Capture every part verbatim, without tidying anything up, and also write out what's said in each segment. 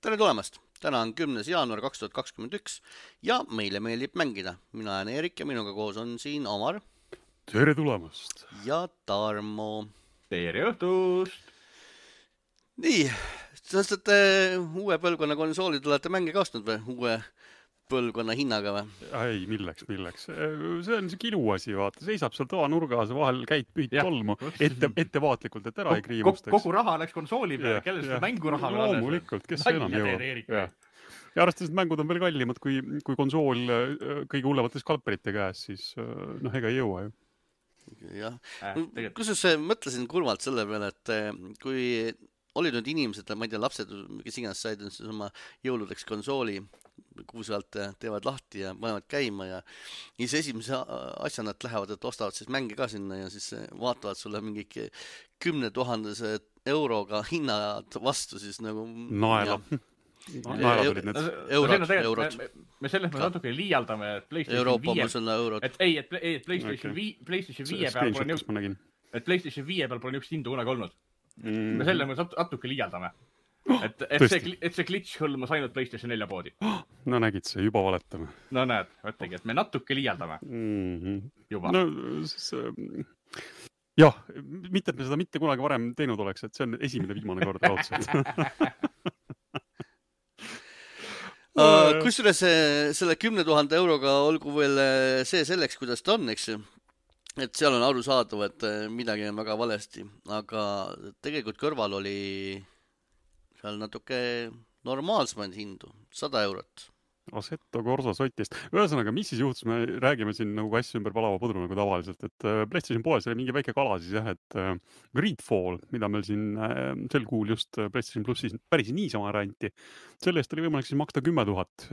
tere tulemast! Täna on kümnes jaanuar kaks tuhat kakskümmend üks ja meile meeldib mängida. Mina olen Erik ja minuga koos on siin Omar. Tere tulemast! Ja Tarmo. Tere õhtust! Nii, sest et uue põlvkonna konsoolid olete mänge ka ostnud või? Uue põlvkonna hinnaga või? Ei, milleks, milleks. See on see kilu asi, vaata. Seisab seal toa nurgas, vahel käid pühid tolmu ette, ettevaatlikult, et ära ei kriimustaks. Kogu raha läks konsooli peale, kellel seda mänguraha veel alles? Loomulikult, kes see enam jõuab. Ja, ja arvestades, et mängud on veel kallimad kui, kui konsool kõige hullemate skalperite käes, siis noh, ega ei jõua ju. Jah, äh, kusjuures mõtlesin kurvalt selle peale, et kui olid nüüd inimesed, ma ei tea, lapsed, kes iganes said oma jõuludeks konsooli, kuu sealt teevad lahti ja panevad käima ja siis esimese asja nad lähevad, et ostavad siis mänge ka sinna ja siis vaatavad sulle mingi kümne tuhandese euroga hinnad vastu siis nagu... Naela. Naelad olid need. Eurot, eurot. Me selles me natuke liialdame, et PlayStation viie... Et ei, et PlayStation viie peal pole niisugust... Et PlayStation viie peal pole niisugust hindu kunagi olnud. Me selle me natuke liialdame. Et, et, see, et see glitch hõlmas ainult PlayStation nelja poodi. No nägid see, juba valetame. No näed, võttegi, et me natuke liialdame. Mm-hmm. Juba. No, siis, jah, mitte, et me seda mitte kunagi varem teinud oleks, et see on esimene viimane kord raudselt. uh, kusjuures selle kümne tuhande euroga olgu veel see selleks, kuidas ta on, eks ju. Et seal on aru saadav, et midagi on väga valesti, aga tegelikult kõrval oli seal natuke normaalsemaid hindu, sada eurot. Assetto Corsa sotist. Ühesõnaga, mis siis juhtus? Me räägime siin nagu asju ümber palava pudru nagu tavaliselt, et PlayStation poes oli mingi väike kala siis jah, et Greedfall, mida meil siin sel kuul just PlayStation Plussis päris niisama ränti, selle eest oli võimalik siis maksta kümme tuhat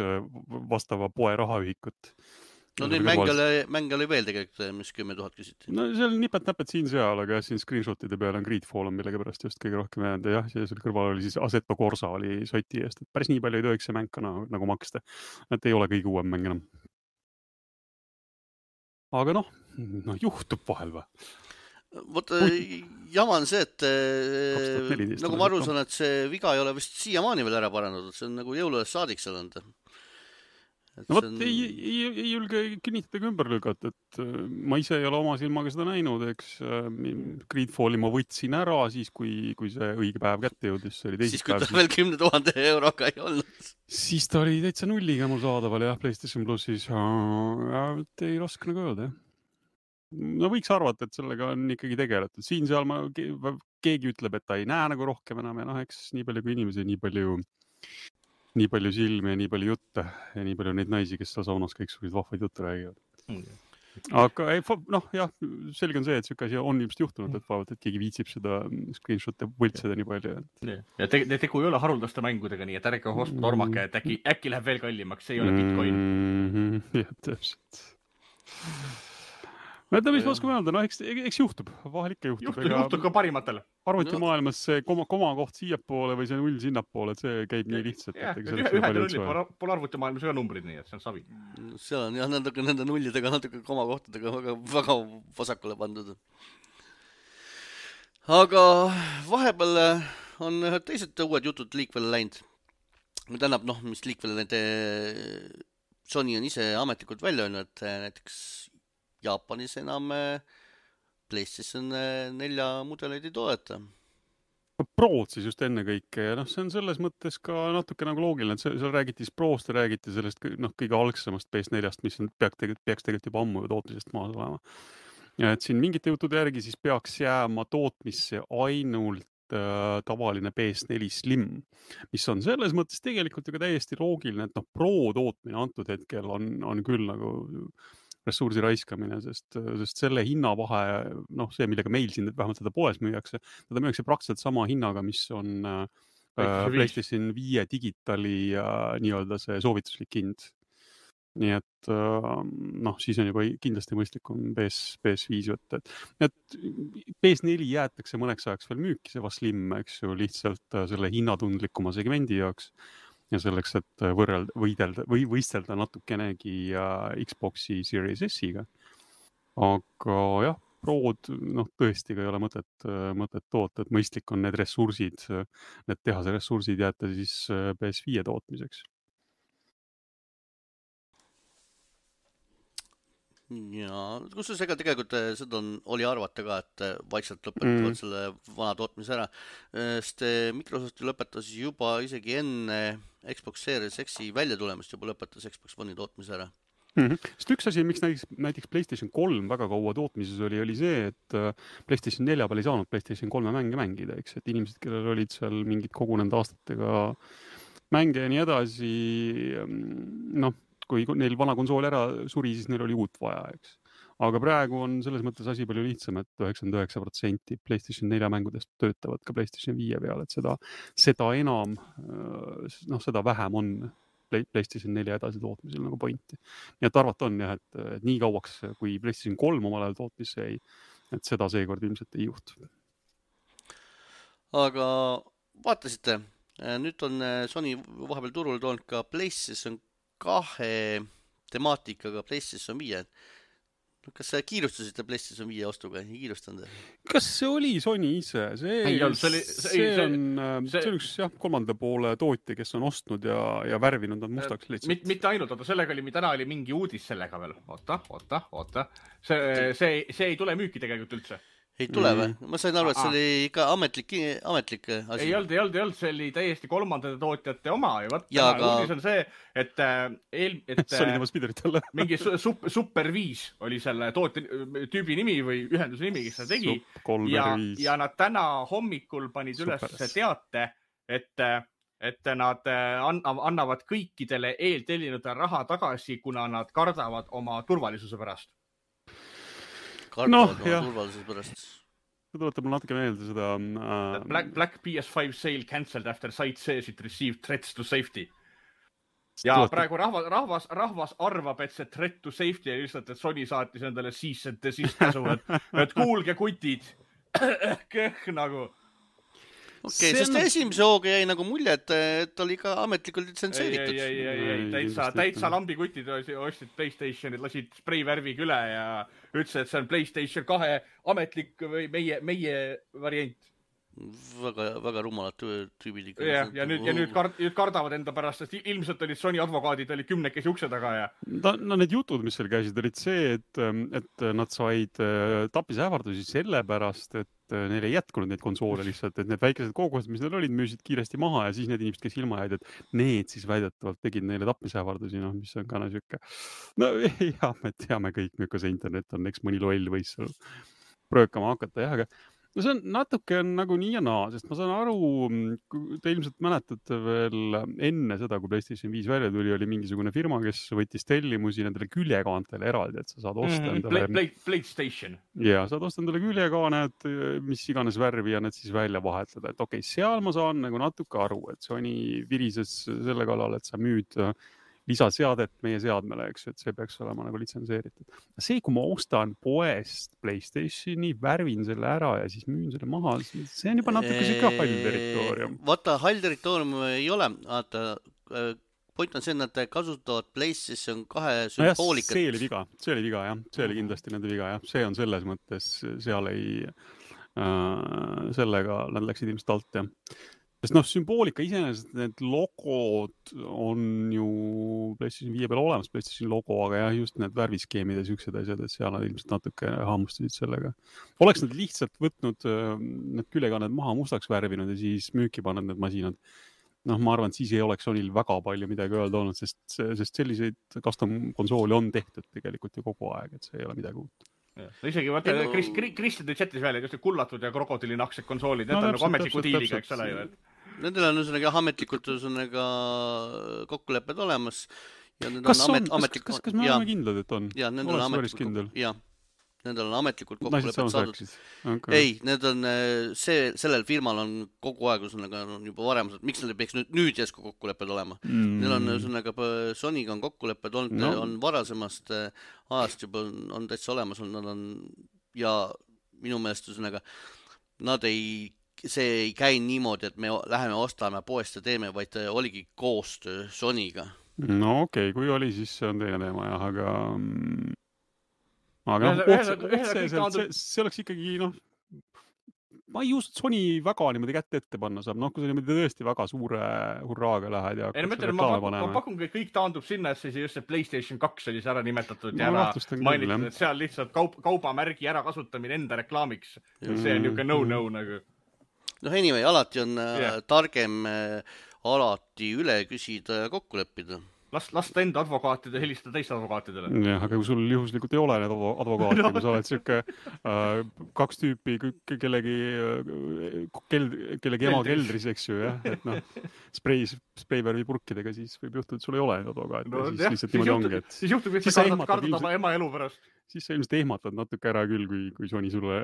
vastava poe rahaühikut. No neid mänge oli, mänge oli veel tegelikult, mis kümme tuhat küsiti. No see oli nipet-näpet siin seal, aga siin screenshotide peale on Greedfall on millega pärast just kõige rohkem jäänud. Ja jah, see kõrval oli siis Assetto Corsa oli soti eest, et päris nii palju ei tohiks see mäng ka nagu, nagu maksta. Et ei ole kõige uuem mäng enam. Aga noh, noh juhtub vahel või? Vot jama on see, et nagu ma aru saan, et see viga ei ole vist siiamaani veel ära parandatud. See on nagu jõuludes saadik seal anda. No vot, on... ei, ei, ei julge kinnitada ümber lükata, et ma ise ei ole oma silmaga seda näinud, eks Greedfalli ma võtsin ära siis, kui, kui see õige päev kätte jõudis. See oli siis kui ta veel kümne tuhande euroga ei olnud. Siis ta oli täitsa nulliga mul saadaval jah, PlayStation Plussis. Ei raske nagu öelda, jah. No võiks arvata, et sellega on ikkagi tegeletud. Siin seal ma, keegi ütleb, et ta ei näe nagu rohkem enam ja noh, eks nii palju kui inimesi, nii palju... nii palju silmi ja nii palju jutte ja nii palju neid naisi, kes seal saunas kõik sellised vahvaid jutte räägivad. Mm. Aga ei, noh, jah, selge on see, et selline asi on ilmselt juhtunud, et vaevalt, et keegi viitsib seda screenshot'e võltseda nii palju. Ja te, te tegu ei ole haruldaste mängudega nii, et ärge host normake, et äkki, äkki läheb veel kallimaks, see ei ole Bitcoin. Mm-hmm. Jah, täpselt. No, et mis ma oskame öelda, no eks, eks juhtub, vahel ikka juhtub. Juhtub, juhtub ka parimatele. Arvuti maailmas see koma, koma koht siiapoole või see null sinnapoole, et see käib nii lihtsalt. Jah, ühed nullid pole arvuti maailmas ühe numbrid nii, et see on savi. Seal on jah, natuke nende nullidega, natuke koma kohtadega väga, väga vasakule pandud. Aga vahepeal on teised uued jutud liikvele läinud. Tähendab, noh, mis liikvele nende Sony on ise ametlikult välja öelnud, et näiteks Jaapanis enam PlayStation nelja mudeleid ei toeta. Prood siis just enne kõike ja noh, see on selles mõttes ka natuke nagu loogiline, et seal räägiti Prost ja räägiti sellest noh, kõige algsemast P S neljast, mis on, peaks, tegelikult, peaks tegelikult juba ammu tootmisest maas olema. Ja et siin mingite jutude järgi siis peaks jääma tootmisse ainult äh, tavaline P S neli Slim, mis on selles mõttes tegelikult ju ka täiesti loogiline, et noh, Pro tootmine antud hetkel on, on küll nagu ressursi raiskamine, sest, sest selle hinnavahe, noh see, millega meil siin vähemalt seda poes müüakse, teda müüakse praktiliselt sama hinnaga, mis on äh, PlayStation viie digitali äh, nii-öelda see soovituslik hind. Nii et äh, noh, siis on juba kindlasti mõistlikum P S, P S viis võtta. Et, et P S neli jäetakse mõneks ajaks veel müüki, see va Slim, eks ju, lihtsalt äh, selle hinnatundlikuma segmendi jaoks. Ja selleks, et võrrelda, võidelda, või võistelda natukenegi Xboxi Series S-iga. Aga jah, Prod, noh, tõesti ka ei ole mõtet, mõtet toota, et mõistlik on need ressursid, need tehase ressursid jätta siis P S viie tootmiseks. Ja, kusjuures ega tegelikult seda on, oli arvata ka, et vaikselt lõpetavad mm. selle vana tootmise ära, sest Microsoft lõpetas juba isegi enne Xbox Series X-i välja tulemist juba lõpetas Xbox One'i tootmise ära. Mm-hmm. Sest üks asi, miks näiteks, näiteks PlayStation kolm väga kaua tootmises oli, oli see, et PlayStation nelja peal ei saanud PlayStation kolme mänge mängida, eks, et inimesed, kellel olid seal mingid kogunenud aastatega mänge ja nii edasi, noh, kui neil vana konsool ära suri, siis neil oli uut vaja, eks. Aga praegu on selles mõttes asi palju lihtsam, et üheksakümmend üheksa protsenti PlayStation nelja mängudest töötavad ka PlayStation viie peal, et seda, seda enam, noh, seda vähem on PlayStation nelja edasi tootmisel nagu pointi. Nii et arvata on jah, et, et nii kauaks, kui PlayStation kolm omal ajal tootmisse jäi, et seda seekord ilmselt ei juhtu. Aga vaatasite, nüüd on Sony vahepeal turul toonud ka PlayStation kahe temaatikaga PlayStation viie. Kas sa kiirustasite PlayStation viie ostuga? Ei kiirustanud? Kas see oli Sony ise? See, ei, see, oli, see, see, on, see, see on üks jah, kolmanda poole tootja, kes on ostnud ja, ja värvinud nad mustaks lihtsalt. Mit, mitte ainult, oota, sellega oli, täna oli mingi uudis sellega veel. Oota, oota, oota. See, see, see ei tule müüki tegelikult üldse. Ei tule või? Ma sain aru, et see oli ikka ametlik, ametlik asi. Ei olnud, ei olnud, ei olnud, see oli täiesti kolmandate tootjate oma. Ja võt, ja aga... uudis on see, et, eel, et see oli tema spiderit alla. mingi super, super viis oli selle tootja tüübi nimi või ühenduse nimi, kes seda tegi. Ja, ja nad täna hommikul panid Superes. Üles teate, et, et nad annavad kõikidele eeltellinud raha tagasi, kuna nad kardavad oma turvalisuse pärast. Kardavad no, oma turvalisuse pärast. See tuletab mul natuke meelde seda... Uh... Black, Black P S five sale cancelled after site says it received threats to safety. Ja tuletab... praegu rahvas, rahvas, rahvas arvab, et see threat to safety ja lihtsalt, et Sony saatis endale siis, et siis käsu, et, et kuulge kutid. Kõh nagu... Okei, okay, sest on... esimese hooga jäi nagu mulje, et, et ta oli ka ametlikult litsenseeritud. Ei, ei, ei, ei, täitsa, täitsa lambikutid ostsid PlayStationid, lasid spreivärvig üle ja ütles, et see on PlayStation kahe ametlik või meie, meie variant. Väga, väga rumalad tüübid ikka. Ja, ja nüüd, ja nüüd, kard, nüüd kardavad enda pärast, sest ilmselt olid Sony advokaadid, oli kümnekesi ukse taga ja... No, no need jutud, mis seal käisid, olid see, et, et nad said tapisähvardusi selle pärast, et neil ei jätkunud neid konsoole lihtsalt, et need väikesed kogused, mis neil olid, müüsid kiiresti maha ja siis need inimesed, kes ilma jäid, et need siis väidetavalt tegid neile tapmisähvardusi, noh, mis on ka näsüke. No jah, me teame kõik, milline see internet on, eks mõni loll võis seal pröökama hakata, jah, aga no see on natuke on nagu nii ja naa, sest ma saan aru, te ilmselt mäletate veel enne seda, kui PlayStation viis välja tuli, oli mingisugune firma, kes võttis tellimusi nendele küljekaantele eraldi, et sa saad osta mm, endale... Play, PlayStation. Ja, saad osta endale küljekaaned, mis iganes värvi ja need siis välja vahetada. Et okei, okay, seal ma saan nagu natuke aru, et Sony virises selle kallal, et sa müüd lisaseadet meie seadmele, eks, et see peaks olema nagu litsenseeritud. See, kui ma ostan poest PlayStationi, värvin selle ära ja siis müün selle maha, see on juba natuke siuke hall territoorium. Vaata, hall territoorium ei ole, vaata, point on see, et nad kasutavad PlayStation kahe sümboolikat. No see oli viga, see oli viga, jah. See oli kindlasti nende viga, jah. See on selles mõttes, seal ei, äh, sellega nad läksid ilmselt alt, jah. Sest noh, sümboolika iseenesest, need logod on ju PlayStation viie peal olemas, PlayStation logo, aga jah, just need värviskeemid ja siuksed asjad, et seal nad ilmselt natuke hammustasid sellega. Oleks nad lihtsalt võtnud need küljekaned maha mustaks värvinud ja siis müüki pannud need masinad. Noh, ma arvan, et siis ei oleks Sonyl väga palju midagi öelda olnud, sest, sest selliseid custom konsooli on tehtud tegelikult ju kogu aeg, et see ei ole midagi uut. Ja. No isegi vaata, no... Kristjan tõi chatis välja, just kullatud ja krokodilinaksed konsoolid, need no, on nagu ametliku diiliga, eks ole ju, et nendel on ühesõnaga ametlikult ühesõnaga kokkulepped olemas ja need kas on amet, on, ametlik... kas, kas, kas me oleme kindlad, et on? Ja, nendel on ametlikult, ja, nendel on ametlikult kokkulepped saadud. Okay. Ei, need on, see, sellel firmal on kogu aeg ühesõnaga on juba varem, miks neil peaks nüüd, nüüd jäsku kokkulepped olema? Mm. Neil on ühesõnaga, Sonyga on kokkulepped olnud, no. on varasemast ajast juba on, on täitsa olemas, on, nad on, ja minu meelest ühesõnaga, nad ei see ei käi niimoodi, et me läheme ostame poest ja teeme, vaid oligi koostöö Sonyga. No okei, okay, kui oli, siis see on teine teema, jah, aga aga otseselt see oleks ikkagi, noh, ma ei usu, et Sony väga niimoodi kätte ette panna saab, noh, kui sa niimoodi tõesti väga suure hurraaga lähed ja ei, no mõtlen, ma, ma, ma pakun, et kõik taandub sinna, et see just see PlayStation kaks oli see ära nimetatud ja ära mainitud, et seal lihtsalt kaup, kaubamärgi ära kasutamine enda reklaamiks. Mm. See on niuke no-no nagu. Noh, anyway, alati on yeah. targem alati üle küsida ja kokku leppida. Las, lasta enda advokaatide helistada teiste advokaatidele. Jah, aga kui sul juhuslikult ei ole need advokaatid, no. Kui sa oled siuke äh, kaks tüüpi kellegi, keld, kellegi ema keldris, eks ju, jah, et noh, sprei, spreivärvi purkidega, siis võib juhtuda, et sul ei ole need advokaatid. No, siis jah, lihtsalt niimoodi ongi, et... Siis juhtub, et sa kardad, kardad oma ema elu pärast. Siis sa ilmselt ehmatad natuke ära küll, kui, kui Sony sulle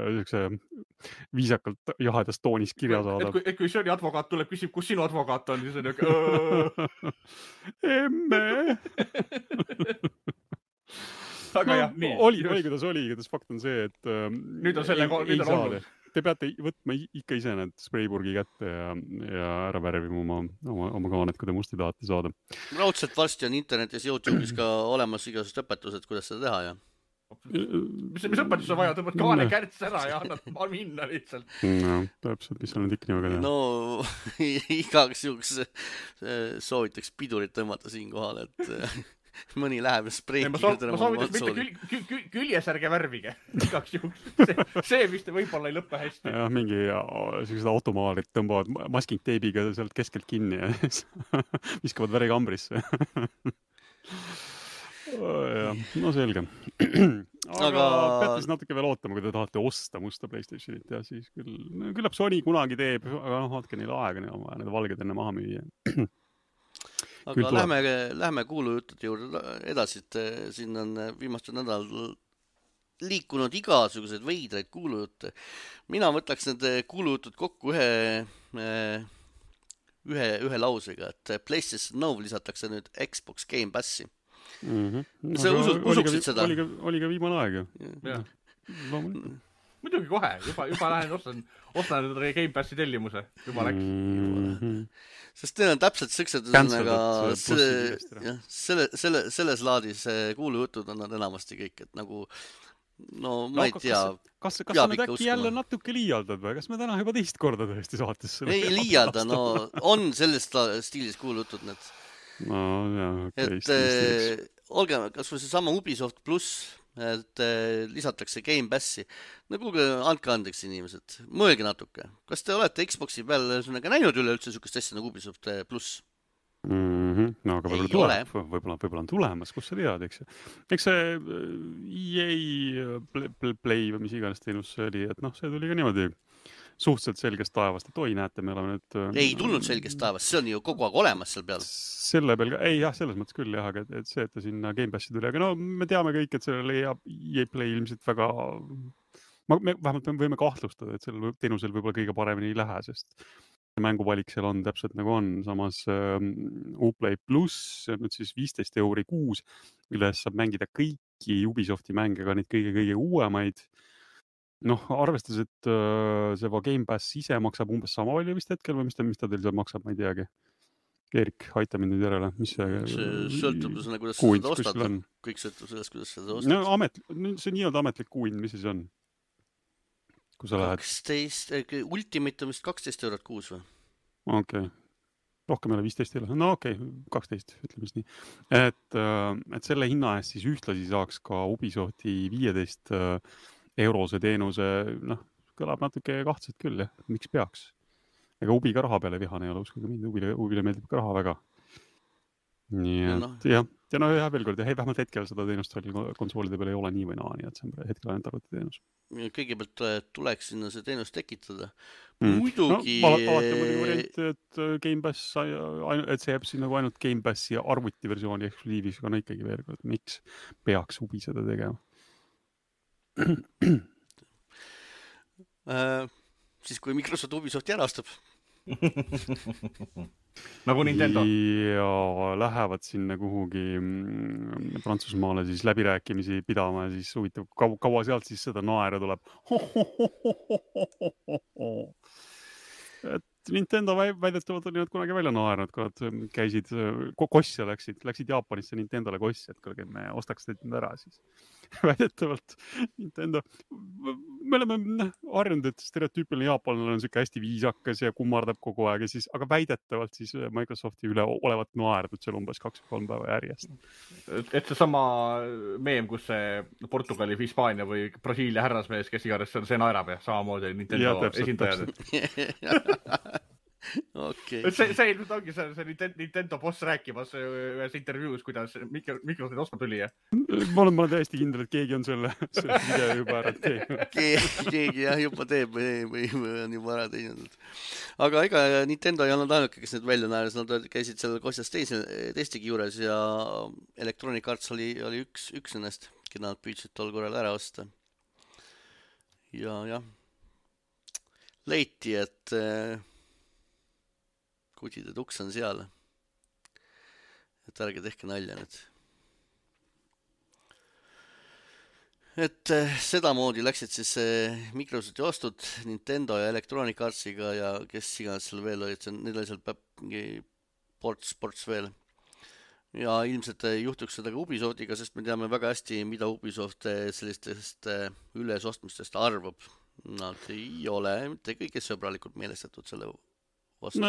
viisakalt jahedast toonis kirja saadab. Et kui, et kui Sony advokaat tuleb, küsib, kus sinu advokaat on, siis on niuke... Emme! Aga no, jah, nii. Oli, oli, kuidas oli, kuidas fakt on see, et ähm, nüüd on selle, ei, nüüd on olnud. Te peate võtma ikka ise need spreipurgi kätte ja, ja ära värvima oma, oma, oma kaanet, kui te musti tahate saada. Raudselt varsti on internetis YouTube'is ka olemas igasugused õpetused, kuidas seda teha, ja? Mis, mis õpetus on vaja, tõmbad kaane kärts ära ja annad minna lihtsalt. No, täpselt, mis on nüüd ikka nii väga teha. No, igaks juhuks soovitaks pidurit tõmmata siin kohal, et mõni läheb spreiki. Ma, so, ma soovitaks mitte kül, kül, kül, küljesärge värvige igaks juhuks. See, see vist võib-olla ei lõppe hästi. Ja, mingi sellised automaarid tõmbavad masking teibiga sealt keskelt kinni ja viskavad värikambrisse. Ja, no selge. Aga, aga peate siis natuke veel ootama, kui te tahate osta musta PlayStationit ja siis küll, küllap Sony kunagi teeb, aga noh, vaatke neile aega, neil on vaja need valged enne maha müüa. Aga lähme, lähme kuulujutud juurde edasi, et siin on viimastel nädal liikunud igasugused veidraid kuulujutte. Mina võtaks need kuulujutud kokku ühe, ühe, ühe lausega, et PlayStation Now lisatakse nüüd Xbox Game Passi. Mm-hmm. Sa usud, usuksid seda? Oli ka, oli ka viimane aeg ju. Ja. Muidugi kohe, juba, juba lähen ostan, ostan Game Passi tellimuse. Juba läks. Mm-hmm. Sest teil on täpselt sõksed üsnaga selle, selle, selle, selles laadis kuulujutud on nad enamasti kõik, et nagu no ma no, ei tea. Kas, kas, kas sa nüüd äkki uskuma? Jälle natuke liialdad või? Kas me täna juba teist korda tõesti saates? Ei liialda, no on sellest stiilis kuulujutud need. No, jah, okay, et äh, olge, kas või see sama Ubisoft Plus, et äh, lisatakse Game Passi. No kuulge, andke andeks inimesed, mõelge natuke. Kas te olete Xboxi peal näinud üle üldse sükest asja nagu Ubisoft Plus? Mm-hmm. No aga võib-olla tuleb, võib-olla, võib-olla on tulemas, kus sa tead, eks. Eks see E A Play, play või mis iganes teenus oli, et noh, see tuli ka niimoodi suhteliselt selgest taevast, et oi, näete, me oleme nüüd... Ei tulnud selgest taevast, see on ju kogu aeg olemas seal peal. Selle peal, ei jah, selles mõttes küll jah, aga et see, et ta sinna Game Passi tuli, aga no me teame kõik, et sellele E A Play ilmselt väga... Ma, me vähemalt me võime kahtlustada, et sellel teenusel võib-olla kõige paremini ei lähe, sest mänguvalik seal on täpselt nagu on. Samas um, Uplay Plus, nüüd siis viisteist euri kuus, milles saab mängida kõiki Ubisofti mänge, ka neid kõige-kõige uuemaid. Noh, arvestas, et uh, see Game Pass ise maksab umbes sama palju vist hetkel või mis ta, mis ta teil seal maksab, ma ei teagi. Erik, aita mind nüüd järele. Mis see, see sõltub sellest, kuidas sa seda ostad. Kõik sõltub sellest, kuidas sa seda ostad. No, amet, see nii-öelda ametlik kuuin, mis siis on? Kui sa lähed... kaksteist, Ultimate on vist kaksteist eurot kuus või? Okei. Okay. Rohkem ei ole viisteist ei ole. No okei, okay, kaksteist, ütleme siis nii. Et, et selle hinna eest siis ühtlasi saaks ka Ubisofti viieteist eurose teenuse, noh, kõlab natuke kahtselt küll, jah. Miks peaks? Ega Ubi ka raha peale vihane ei ole, uskuge mind, Ubile, Ubile meeldib ka raha väga. Nii et, no. jah. Ja no jah, veel kord, hei, vähemalt hetkel seda teenust konsoolide peale ei ole nii või naa, nii et see on hetkel ainult arvuti teenus. Kõigepealt tuleks sinna see teenus tekitada. Mm. Muidugi... No, alati on muidugi variant, et Game Pass, et see jääb siin nagu ainult Game Passi arvuti versiooni eksklusiivis, aga no ikkagi veel kord, miks peaks Ubi seda tegema? äh, siis kui Microsoft Ubisofti ära ostab. Nagu Nintendo. Ja lähevad sinna kuhugi Prantsusmaale siis läbirääkimisi pidama ja siis huvitav, kaua, kaua sealt siis seda naera tuleb. Et Nintendo väidetavalt on nüüd kunagi välja naernud, kui nad käisid kosse, läksid, läksid Jaapanisse Nintendole kosse, et kuulge, me ostaks neid nüüd ära siis. Väidetavalt Nintendo, me oleme harjunud, et stereotüüpiline jaapanlane on siuke hästi viisakas ja kummardab kogu aeg, ja siis, aga väidetavalt siis Microsofti üle olevat naerdud seal umbes kaks kolm päeva järjest. Et see sama meem, kus see Portugali, Hispaania või Brasiilia härrasmees, kes iganes see naerab ja samamoodi Nintendo ja, esindajad. Okay. see, see ilmselt ongi see, see Nintendo boss rääkimas ühes intervjuus, kuidas Microsoft osta tuli. Ma olen, ma olen täiesti kindel, et keegi on selle, selle video juba ära teinud. Keegi jah, juba teeb või, või on juba ära teinud. Aga ega Nintendo ei olnud ainuke, kes need välja naeris, nad käisid seal kosjas teise, teistegi juures ja Electronic Arts oli, oli üks, üks ennast, keda nad püüdsid tol korral ära osta. Ja jah, leiti, et kutide tuks on seal. Et ärge tehke nalja nüüd. Et sedamoodi läksid siis Microsofti ostud Nintendo ja Electronic Artsiga ja kes iganes seal veel olid, need oli seal mingi ports, ports veel. Ja ilmselt juhtuks seda ka Ubisoftiga, sest me teame väga hästi, mida Ubisoft sellistest ülesostmistest arvab. Nad ei ole mitte kõige sõbralikult meelestatud selle vastu. No,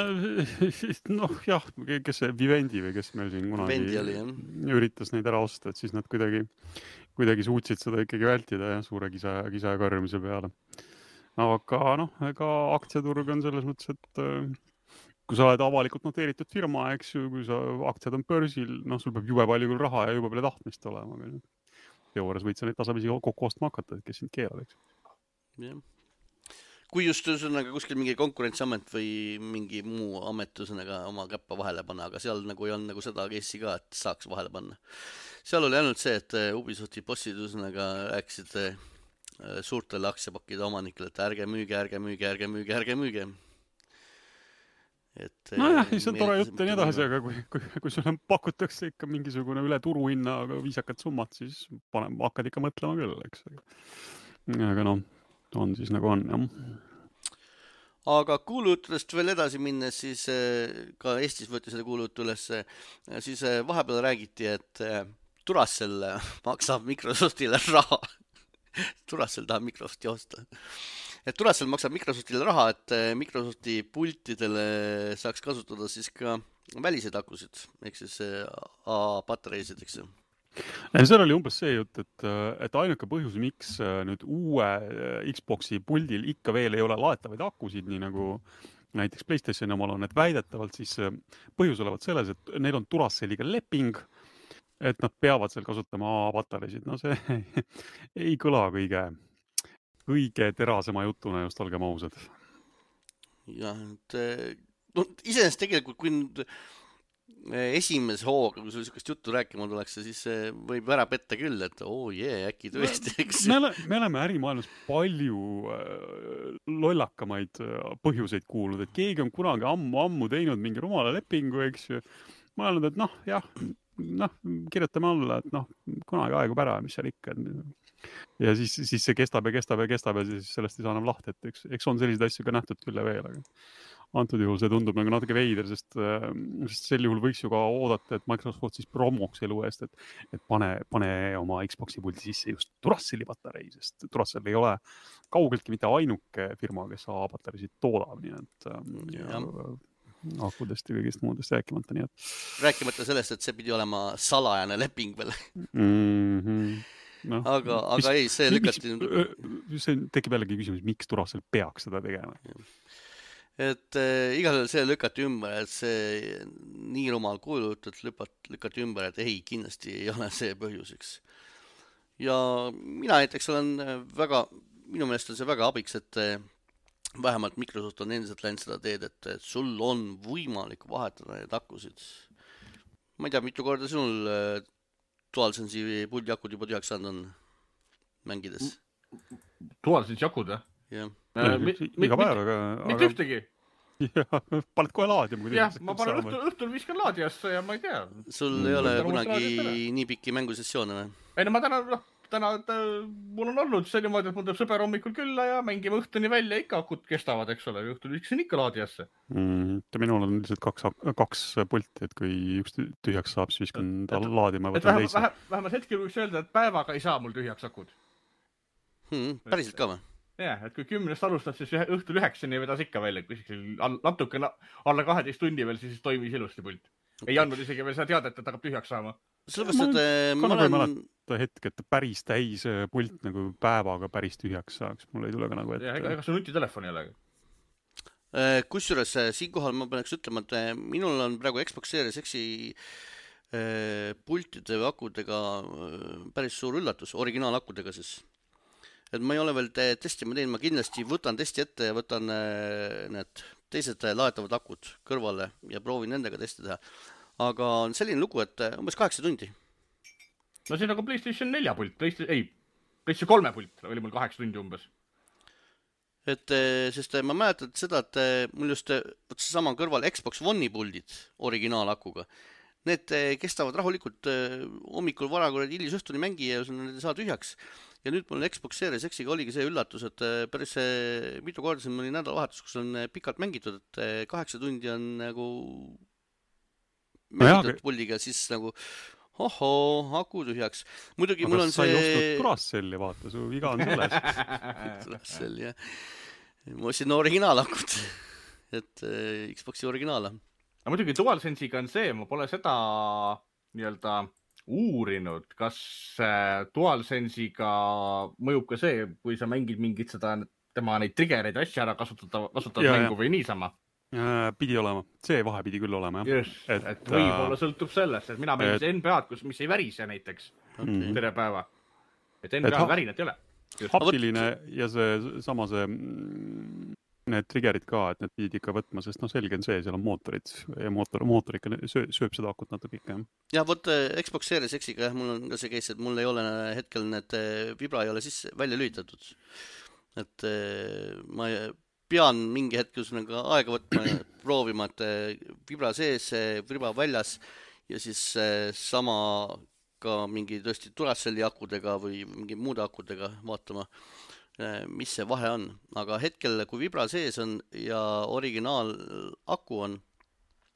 noh jah, kes see Vivendi või kes meil siin kunagi oli, üritas neid ära osta, et siis nad kuidagi, kuidagi suutsid seda ikkagi vältida ja suure kisa, kisa ja karjumise peale. Aga noh, ega aktsiaturg on selles mõttes, et kui sa oled avalikult noteeritud firma, eks ju, kui sa aktsiad on börsil, noh, sul peab jube palju küll raha ja jube palju tahtmist olema. Teoorias võid sa neid tasapisi kokku ostma hakata, et kes sind keelab, eks. Jah. Kui just üsõnaga kuskil mingi konkurentsiamet või mingi muu amet üsõnaga oma käppa vahele panna, aga seal nagu ei olnud nagu seda case'i ka, et saaks vahele panna. Seal oli ainult see, et Ubisofti bossid üsõnaga rääkisid suurtele aktsiapakkide omanikele, et ärge müüge, ärge müüge, ärge müüge, ärge müüge. Et, no jah, see on tore jutt ja nii edasi, aga kui, kui, kui sulle pakutakse ikka mingisugune üle turuhinna, aga viisakat summat, siis panem, hakkad ikka mõtlema küll, eks. Aga noh, on siis nagu on, jah. Aga kuulujuttudest veel edasi minnes, siis ka Eestis võeti seda kuulujutu üles, siis vahepeal räägiti, et Duracell maksab Microsoftile raha. Duracell tahab Microsofti osta. Et Duracell maksab Microsoftile raha, et Microsofti pultidele saaks kasutada siis ka väliseid akusid, ehk siis A-patareisid, eks ju. Seal oli umbes see jutt, et, et ainuke põhjus, miks nüüd uue Xboxi puldil ikka veel ei ole laetavaid akusid, nii nagu näiteks PlayStationi omal on, et väidetavalt siis põhjus olevat selles, et neil on Duracelliga leping, et nad peavad seal kasutama A-patareisid. No see ei kõla kõige, kõige terasema jutuna, just olgem ausad. Jah, et no, iseenesest tegelikult, kui nüüd esimese hooga, kui sul niisugust juttu rääkima tuleks, siis võib ära petta küll, et oo oh, jee, äkki tõesti, eks. Me, ole, me oleme ärimaailmas palju lollakamaid põhjuseid kuulnud, et keegi on kunagi ammu-ammu teinud mingi rumala lepingu, eks ju. Ma olen öelnud, et noh, jah, noh, kirjutame alla, et noh, kunagi aegub ära, mis seal ikka. Ja siis, siis see kestab ja kestab ja kestab ja siis sellest ei saa enam lahti, et eks, eks on selliseid asju ka nähtud küll ja veel, aga antud juhul see tundub nagu natuke veider, sest, sest sel juhul võiks ju ka oodata, et Microsoft siis promoks elu eest, et, et pane, pane oma Xboxi puldi sisse just Duracelli patarei, sest Duracell ei ole kaugeltki mitte ainuke firma, kes A-patareisid toodab, nii et ja, akudest ja kõigist muudest rääkimata, nii et rääkimata sellest, et see pidi olema salajane leping veel. Mm-hmm. No, aga, aga mis, ei, see lükati mis, see tekib jällegi küsimus, miks Duracell peaks seda tegema? Et äh, igal juhul see lükati ümber, et see nii rumal kuulujutud lükati ümber, et ei, kindlasti ei ole see põhjuseks. Ja mina näiteks olen väga, minu meelest on see väga abiks, et vähemalt Microsoft on endiselt läinud seda teed, et, et sul on võimalik vahetada need akusid. Ma ei tea, mitu korda sinul äh, DualSense'i puldi akud juba tühjaks saanud on mängides? DualSense'i akud, jah? Jah. Äh, mi, mi, iga päev, aga... Mitte ühtegi? Jah, paned kohe laadima. Jah, ma panen õhtul, õhtul viskan laadiasse ja ma ei tea. Sul mm. ei ole kunagi nii pikki mängusessioone või? Ei, no ma täna, noh, täna mul on olnud see niimoodi, et mul tuleb sõber hommikul külla ja mängime õhtuni välja, ikka akud kestavad, eks ole, õhtul üksin ikka laadijasse. Mm, minul on lihtsalt kaks, kaks pulti, et kui üks tühjaks saab, siis viskan ta laadima ja võtan teise. Vähem, vähemalt hetkel võiks öelda, et päevaga ei saa mul tühjaks akud. Hmm, päriselt ka või? Jah, et kui kümnest alustad, siis õhtul üheksani vedas ikka välja, kui natuke alla kaheteist tundi veel, siis toimis ilusti pult. Ei andnud isegi veel seda teadet, et hakkab tühjaks saama. Sellepärast, et ma olen... hetk, et päris täis pult nagu päevaga päris tühjaks saaks. Mul ei tule ka nagu ette. Ja, ega see nutitelefon ei ole. Kusjuures siinkohal ma peaks ütlema, et minul on praegu Xbox Series X-i pultide või akudega päris suur üllatus, originaalakkudega siis. Et ma ei ole veel testima teinud, ma kindlasti võtan testi ette ja võtan need teised laetavad akud kõrvale ja proovin nendega testi teha. Aga on selline lugu, et umbes kaheksa tundi. No see on nagu PlayStation nelja pult, PlayStation, ei, PlayStation kolme pult oli mul kaheksa tundi umbes. Et, sest ma mäletan seda, et mul just sama kõrval Xbox One'i puldid originaalakuga. Need kestavad rahulikult hommikul varakorrad hilisõhtuni mängi ja need ei saa tühjaks. Ja nüüd mul Xbox Series X-iga oligi see üllatus, et päris mitu korda siin mõni nädalavahetus, kus on pikalt mängitud, et kaheksa tundi on nagu mängitud no puldiga, siis nagu ohoo, aku tühjaks. Muidugi aga mul on see... Aga sa ei see... ostnud Duracell'i, vaata, su viga on selles. Duracell, jah. Ma ostsin originaalakud, et Xboxi originaala. Aga muidugi DualSense'iga on see, ma pole seda nii-öelda uurinud, kas DualSense'iga mõjub ka see, kui sa mängid mingit seda, tema neid triggereid asja ära kasutada, kasutad ja, mängu ja. Või niisama? Pidi olema. See vahe pidi küll olema. Jah. Just, et, et võib-olla sõltub sellest, et mina mängisin et... N B A-d, kus, mis ei värise näiteks okay. Tere päeva. Et N B A ha... värinet ei ole. Just. Haptiline ja see sama see need triggerid ka, et need pidid ikka võtma, sest no selge on see, seal on mootorid ja mootor, mootor ikka sööb, sööb seda akut natuke ikka. Ja võt Xbox Series X-iga, jah, mul on ka see case, et mul ei ole hetkel need vibra ei ole siis välja lülitatud. Et ma pean mingi hetkel aega võtma ja proovima, et vibra sees, vibra väljas ja siis sama ka mingi tõesti Duracelli akudega või mingi muude akudega vaatama, mis see vahe on. Aga hetkel, kui vibra sees on ja originaal aku on,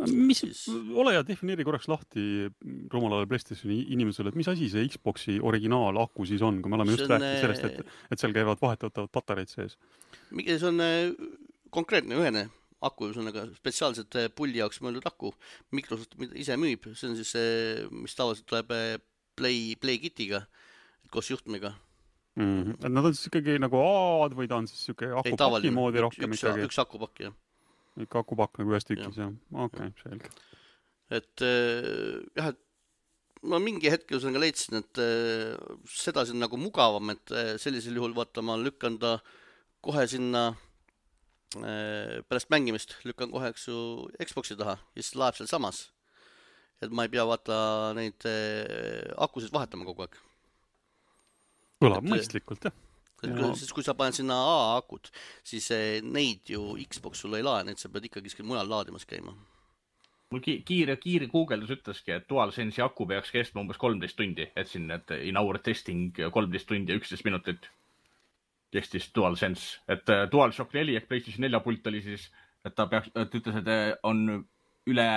mis, siis... ole ja defineeri korraks lahti rumalale PlayStationi inimesele, et mis asi see Xboxi originaal aku siis on, kui me oleme just on, rääkinud sellest, et, et seal käivad vahetatavad patareid sees. See on konkreetne ühene aku, see on aga spetsiaalselt puldi jaoks mõeldud aku. Microsoft ise müüb, see on siis see, mis tavaliselt tuleb Play, Play Kitiga koos juhtmiga. Mm-hmm. Et nad on siis ikkagi nagu A-d või ta on siis siuke akupaki moodi rohkem üks, ikkagi? Üks akupakk, jah. Ikka akupakk nagu ühes tükis, jah. Okei, okay, selge. Et jah, et ma mingi hetkel ka leidsin, et seda on nagu mugavam, et sellisel juhul vaata ma lükkan ta kohe sinna pärast mängimist, lükkan kohe eksu Xboxi taha ja siis laeb seal samas. Et ma ei pea vaata neid akusid vahetama kogu aeg. Kõlab mõistlikult, jah. Ja. Siis kui sa paned sinna A-akut, siis neid ju Xbox sulle ei lae, neid sa pead ikkagi mujal laadimas käima. Mul kiire, kiire Google'dus ütleski, et DualSense'i aku peaks kestma umbes kolmteist tundi, et siin et in hour testing kolmteist tundi ja üksteist minutit kestis DualSense. Et DualShock neli ehk PlayStation nelja pult oli siis, et ta peaks, et ütles, et on üle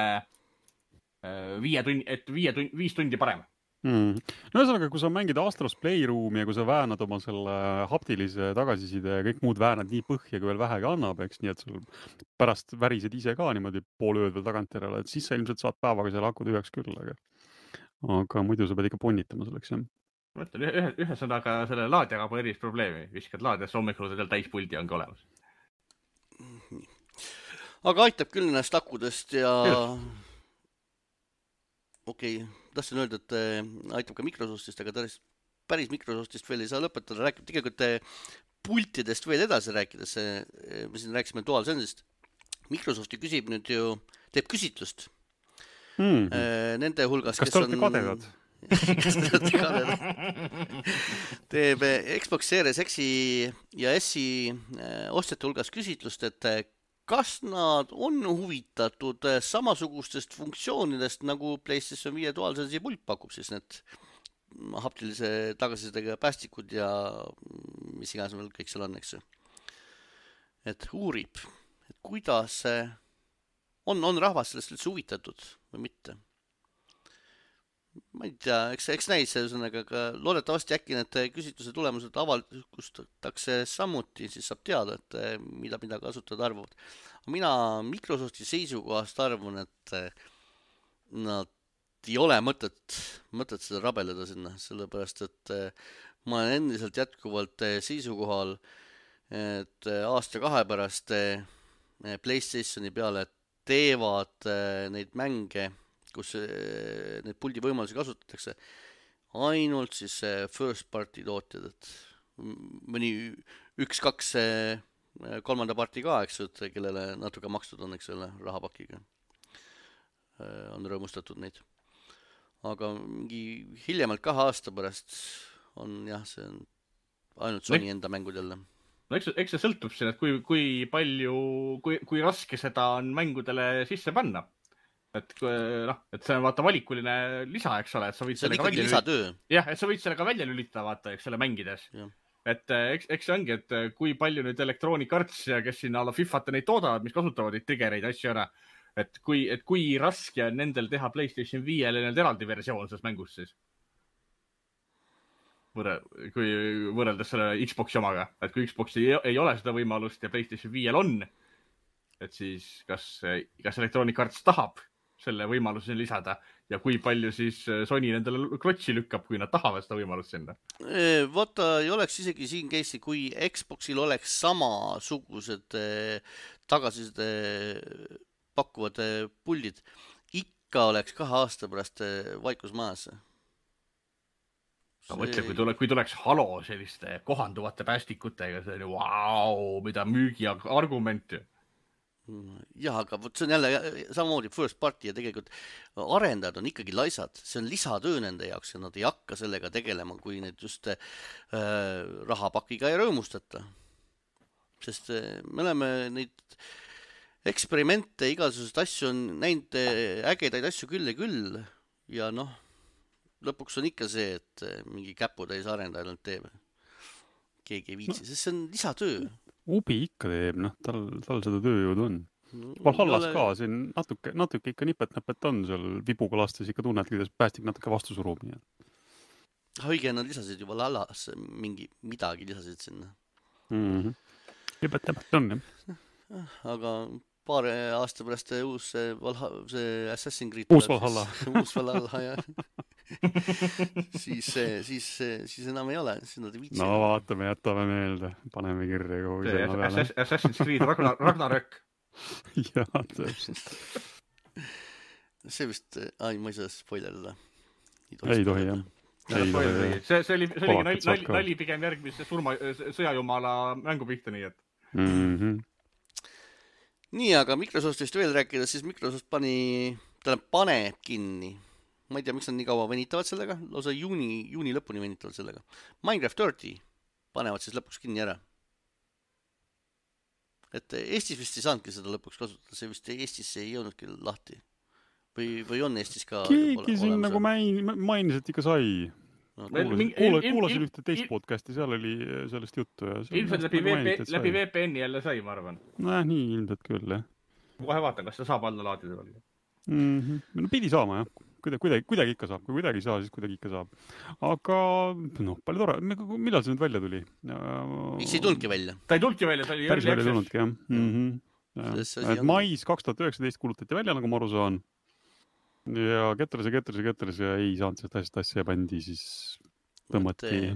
viie tundi, et viie tundi, viis tundi parem. Mm. No ühesõnaga, kui sa mängid Astros Playroom'i ja kui sa väänad oma selle haptilise tagasiside ja kõik muud väänad nii põhja, kui veel vähegi annab, eks, nii et sul pärast värised ise ka niimoodi pool ööd veel tagantjärele, et siis sa ilmselt saad päevaga selle aku tühjaks küll, aga, aga muidu sa pead ikka punnitama selleks, jah. Ma ütlen, ühe, ühesõnaga selle laadjaga pole erilist probleemi, viskad laadjasse hommikul seal täispuldi ongi olemas. Aga aitab küll ennast akudest ja okei, okay. Tahtsin öelda, et aitab ka Microsoftist, aga päris, päris Microsoftist veel ei saa lõpetada. Rääkib tegelikult pultidest veel edasi rääkides. Me siin rääkisime DualSense'ist. Microsofti küsib nüüd ju, teeb küsitlust. Mm. Nende hulgas, kas kes te olete on... kadedad? Kas te olete kadedad? Teeb Xbox Series X-i ja S-i ostjate hulgas küsitlust, et kas nad on huvitatud samasugustest funktsioonidest, nagu PlayStation viie DualSense'i pult pakub, siis need haptilise tagasisidega päästikud ja mis iganes meil kõik seal on, eks ju. Et uurib, et kuidas on, on rahvas sellest üldse huvitatud või mitte. Ma ei tea, eks, eks näis ühesõnaga, aga loodetavasti äkki need küsitluse tulemused avalikustatakse samuti, siis saab teada, et mida, mida kasutajad arvavad. Mina Microsofti seisukohast arvan, et nad ei ole mõtet, mõtet seda rabeleda sinna, sellepärast et ma olen endiselt jätkuvalt seisukohal, et aasta kahe pärast PlayStationi peale teevad neid mänge, kus neid puldi võimalusi kasutatakse, ainult siis first party tootjad, et mõni üks, kaks kolmanda parti ka, eks ju, et kellele natuke makstud on, eks ole, rahapakiga on rõõmustatud neid. Aga mingi hiljemalt kahe aasta pärast on jah, see on ainult Sony enda mängud jälle. No eks, eks see sõltub siin, et kui, kui palju, kui, kui raske seda on mängudele sisse panna. Et, noh, et see on vaata valikuline lisa, eks ole, et sa võid see on ikkagi lisatöö. Jah, et sa võid sellega välja lülitada, vaata, eks selle mängides. Ja. Et eks, eks see ongi, et kui palju nüüd Electronic Arts ja kes siin alla Fifat neid toodavad, mis kasutavad neid triggereid asju ära, et kui, et kui raske on nendel teha PlayStation viiele nende eraldi versioon selles mängus siis. Võrre, kui võrreldes selle Xboxi omaga, et kui Xboxi ei, ei ole seda võimalust ja PlayStation viiel on, et siis kas, kas Electronic Arts tahab selle võimaluse lisada ja kui palju siis Sony nendele klotsi lükkab, kui nad tahavad seda võimalust sinna. Vaata, ei oleks isegi siin case'i, kui Xboxil oleks samasugused tagasised pakkuvad puldid, ikka oleks kahe aasta pärast vaikus maas. No mõtle, kui, tule, kui tuleks Halo selliste kohanduvate päästikutega, see on wow, mida müügi argument. Jah, aga see on jälle samamoodi first party ja tegelikult arendajad on ikkagi laisad. See on lisatöö nende jaoks ja nad ei hakka sellega tegelema, kui need just äh, rahapakiga ei rõõmustata. Sest äh, me oleme neid eksperimente, igasugused asju on näinud ägedaid asju küll ja küll ja noh, lõpuks on ikka see, et mingi käputäis arendajal nad teeb. Keegi ei viitsi, sest see on lisatöö. Ubi ikka teeb, noh, tal, tal seda tööjõud on. Valhallas ole... ka, siin natuke, natuke ikka nipet-näpet on seal vibuga lastes ikka tunned, kuidas päästik natuke vastu surub. Õige, nad lisasid juba Valhallas mingi midagi lisasid sinna. Mm-hmm. Nipet-näpet on, jah. Aga paar aasta pärast uus see, Valha, see Assassin's Creed uus Valhalla. Uus Valhalla, jah. siis, siis, siis enam ei ole, siis nad ei viitsi. No vaatame, jätame meelde, paneme kirja kogu see Assassin's, Assassin's Creed Ragnar, Ragnarök. Jah, täpselt. See vist, ai, ma ei saa spoilerida. Ei tohi, jah. Ei tohi, jah. See, see oli, see oli nali, nali, nali pigem järgmise surma, sõjajumala mängu pihta, nii et. Mm-hmm. Nii, aga Microsoftist veel rääkida, siis Microsoft pani, tähendab paneb kinni. Ma ei tea, miks nad nii kaua venitavad sellega, lausa juuni, juuni lõpuni venitavad sellega. Minecraft kolmkümmend panevad siis lõpuks kinni ära. Et Eestis vist ei saanudki seda lõpuks kasutada, see vist Eestisse ei jõudnudki lahti. Või, või on Eestis ka... Keegi siin nagu main, mainis, et ikka sai. No, kuulasin, kuula, kuulasin ühte teist il, podcasti, seal oli sellest juttu. Ja ilmselt läbi, nagu mainit, läbi V P N-i jälle sai, ma arvan. Noh, nii ilmselt küll, jah. Kohe vaatan, kas ta saab alla laadida veel. Mm-hmm. No pidi saama, jah. Kuidagi, kuidagi, kuidagi ikka saab, kui kuidagi ei saa, siis kuidagi ikka saab. Aga, noh, palju tore. Millal see nüüd välja tuli? Miks ei tulnudki välja? Ta ei tulnudki välja, ta oli päris välja tulnudki, jah. Mm-hmm. Ja. Mais kaks tuhat üheksateist kuulutati välja, nagu ma aru saan. Ja ketteres ja ketteres ja ketteres ja ei saanud seda asja, asja bändi, siis tõmmati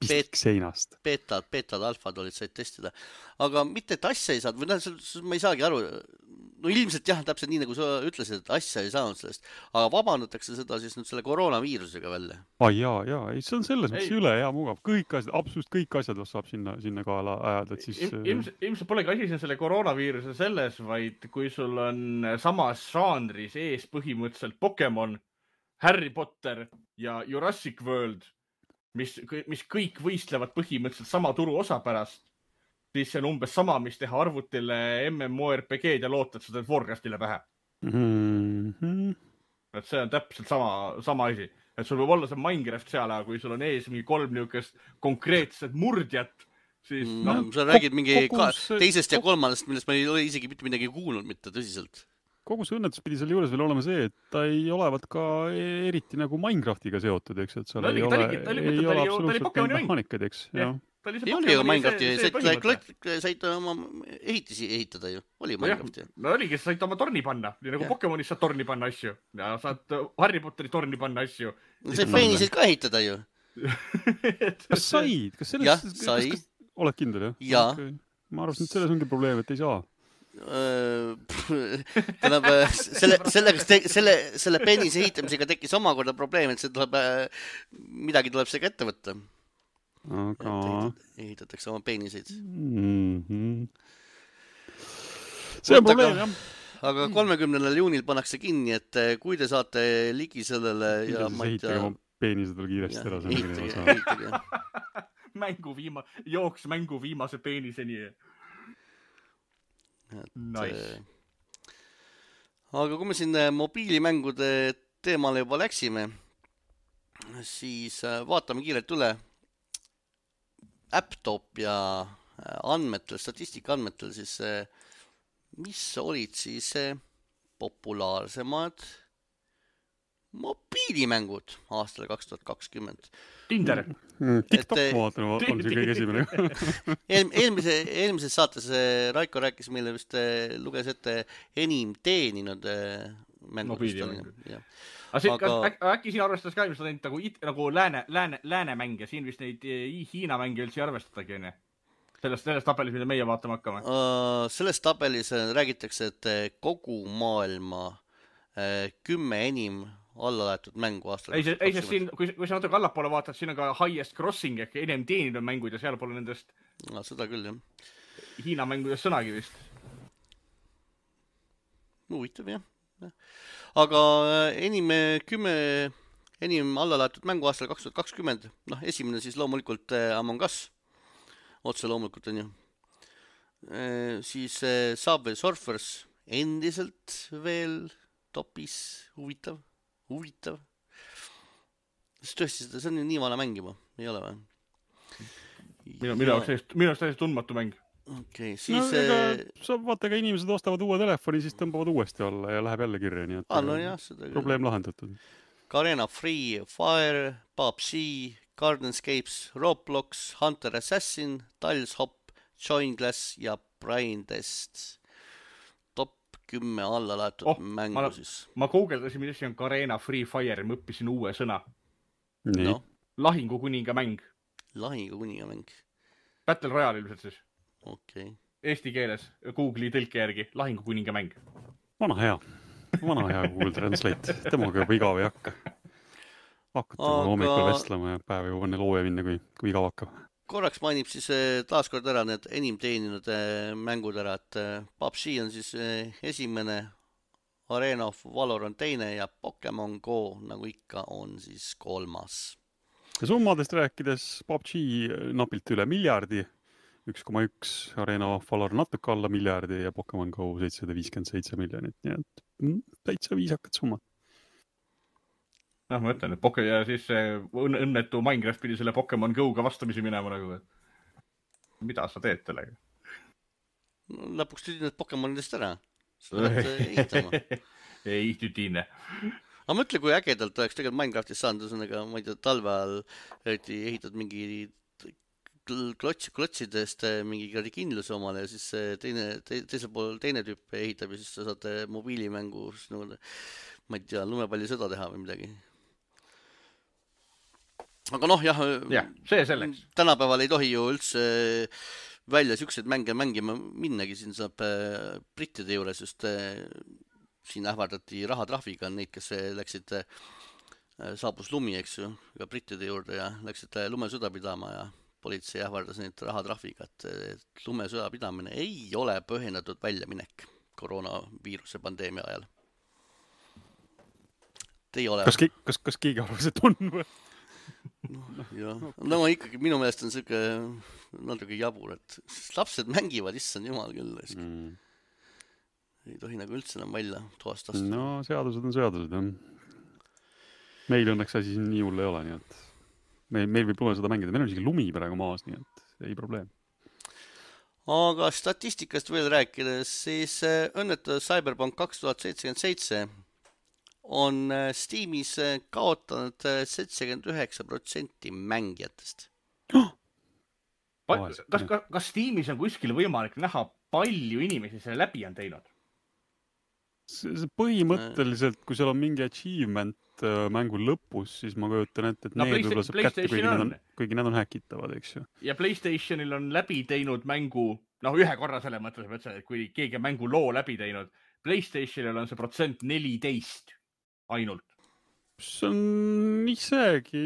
pistik seinast. Betad, betad, alfad olid, said testida. Aga mitte, et asja ei saanud, või noh, ma ei saagi aru. No ilmselt jah, täpselt nii, nagu sa ütlesid, et asja ei saanud sellest. Aga vabandatakse seda siis nüüd selle koroonaviirusega välja. Ai jaa, jaa, ei, see on selles mõttes üle hea mugav. Kõik asjad, absoluutselt kõik asjad saab sinna, sinna kaela ajada. Et siis... Ilmselt, ilmselt polegi asi selle koroonaviiruse selles, vaid kui sul on samas žanris ees põhimõtteliselt Pokemon, Harry Potter ja Jurassic World, mis, mis kõik võistlevad põhimõtteliselt sama turu osa pärast, siis see on umbes sama, mis teha arvutile M M O R P G-d ja loota, et seda Warcraftile pähe. Mm-hmm. Et see on täpselt sama, sama asi. et sul võib olla see Minecraft seal, aga kui sul on ees mingi kolm niukest konkreetset murdjat, siis mm, no, sa räägid mingi kogus, ka, teisest ja kolmandast, millest ma ei ole isegi mitte midagi kuulnud, mitte tõsiselt. Kogu see õnnetus pidi seal juures veel olema see, et ta ei olevat ka eriti nagu Minecraftiga seotud, eks, et seal no, ei, ole, ei, ei ole absoluutselt neid mehaanikaid, eks. Ei oli ju Minecrafti, said oma ehitisi ehitada ju, oli Minecrafti. No oligi, sa said oma torni panna, nii nagu Pokemonis saad torni panna asju ja saad Harry Potteri torni panna asju. Said peeniseid ka ehitada ju. Kas said? Kas sellest, jah, sai. Kas, oled kindel, jah? Jaa. Okay. Ma arvasin, et selles ongi probleem, et ei saa. Tähendab, selle, sellega, selle, selle penise ehitamisega tekkis omakorda probleem, et see tuleb, midagi tuleb seega ette võtta. Aga... ehitatakse oma peniseid. Mm-hmm. See on probleem, jah. Aga kolmekümnendal juunil pannakse kinni, et kui te saate ligi sellele ja ma ei tea... Ehitage oma penised veel kiiresti ära. Ehitage, ehitage. Mängu viima... Jooks mängu viimase peniseni. Et, nice. Aga kui me siin mobiilimängude teemale juba läksime, siis vaatame kiirelt üle. Apptop ja andmetel, statistika andmetel, siis mis olid siis populaarsemad mobiilimängud aastal kaks tuhat kakskümmend. Tinder. TikTok et, vaatan, on see kõige esimene. eel, eelmise, eelmises saates Raiko rääkis meile vist, luges ette enim teeninud mängud. Aga, aga... Äk, äkki siin arvestas ka ilmselt ainult nagu, nagu lääne, lääne, lääne mänge, siin vist neid Hiina mänge üldse arvestatagi, ne? Sellest, sellest tabelis, mida meie vaatama hakkame? Uh, sellest tabelis räägitakse, et kogu maailma uh, kümme enim alla laetud mängu aastal. Ei, see, ei sest siin, kui, kui sa natuke allapoole vaatad, siin on ka highest crossing ehk enim teeninud mängud ja seal pole nendest no, seda küll, jah. Hiina mängudest sõnagi vist. Huvitav, jah. Aga enim kümme enim alla laetud mängu aastal kaks tuhat kakskümmend, noh, esimene siis loomulikult Among Us, otse loomulikult on ju. E, siis Subway Surfers endiselt veel topis, huvitav. Huvitav. See tõesti, see on nii vana mäng juba, ei ole või? Minu, minu jaoks täiesti, minu jaoks täiesti tundmatu mäng. Okay, siis... No, ega, sa vaata, ka inimesed ostavad uue telefoni, siis tõmbavad uuesti alla ja läheb jälle kirja, nii et ah, no jah, seda probleem lahendatud. Garena Free Fire, P U B G, Gardenscapes, Roblox, Hunter Assassin, Tiles Hop, Join Glass ja Brain Test. kümme alla laetud oh, mängu ma, siis. Ma googledasin, mis asi on Garena Free Fire, ma õppisin uue sõna. No. Lahingu kuninga mäng. Lahingu kuninga mäng. Battle Royale ilmselt siis. Okay. Eesti keeles, Google'i tõlke järgi, lahingu kuninga mäng. Vana hea. Vana hea Google Translate. Temaga juba igav ei hakka. Hakkate Aga... hommikul vestlema ja päev juba enne looja minna, kui, kui igav hakkab. Korraks mainib siis taaskord ära need enim teeninud mängud ära, et P U B G on siis esimene, Arena of Valor on teine ja Pokemon Go, nagu ikka, on siis kolmas. Ja summadest rääkides P U B G napilt üle miljardi, üks koma üks, Arena of Valor natuke alla miljardi ja Pokemon Go seitsesada viiskümmend seitse miljonit, nii et täitsa viisakad summad. Noh, ma ütlen, et Poke ja siis õnnetu Minecraft pidi selle Pokemon Go-ga vastamisi minema nagu, et mida sa teed telega? No, lõpuks tüdin need Pokemonidest ära. Sa pead ehitama. Ei tüdine. Aga mõtle, kui ägedalt oleks tegelikult Minecraftis saanud, üsõnaga, ma ei tea, talve ajal ehitad mingi klots, klotsidest mingi kindluse omale ja siis teine, te, teisel pool teine tüüp ehitab ja siis sa saad mobiilimängu, nagu, ma ei tea, lumepalli sõda teha või midagi. Aga noh, jah, ja, see selleks. Tänapäeval ei tohi ju üldse välja siukseid mänge mängima minnagi, siin saab brittide juures just siin ähvardati rahatrahviga neid, kes läksid, saabus lumi, eks ju, ka brittide juurde ja läksid lumesõda pidama ja politsei ähvardas neid rahatrahviga, et lumesõda pidamine ei ole põhjendatud väljaminek koroonaviiruse pandeemia ajal. Te ei ole. Kas, kas, kas keegi arvas, et on või? No, jah. No ma ikkagi, minu meelest on siuke natuke jabur, et lapsed mängivad, issand jumal küll. Mm. Ei tohi nagu üldse enam välja toast astuda. No seadused on seadused, jah. meil õnneks asi siin nii hull ei ole, nii et meil, meil võib lune seda mängida. Meil on isegi lumi praegu maas, nii et ei probleem. Aga statistikast veel rääkides, siis õnnetu Cyberpunk kaks tuhat seitsekümmend seitse on Steamis kaotanud seitsekümmend üheksa protsenti mängijatest. Oh! Kas, kas, kas Steamis on kuskil võimalik näha, palju inimesi selle läbi on teinud? See põhimõtteliselt, kui seal on mingi achievement mängu lõpus, siis ma kujutan ette, et no, need võib-olla saab kätte, kuigi nad on, kuigi nad on häkitavad, eks ju. Ja PlayStationil on läbi teinud mängu, noh ühe korra selle mõttes, et kui keegi on mängu loo läbi teinud, PlayStationil on see protsent neliteist ainult. See on isegi,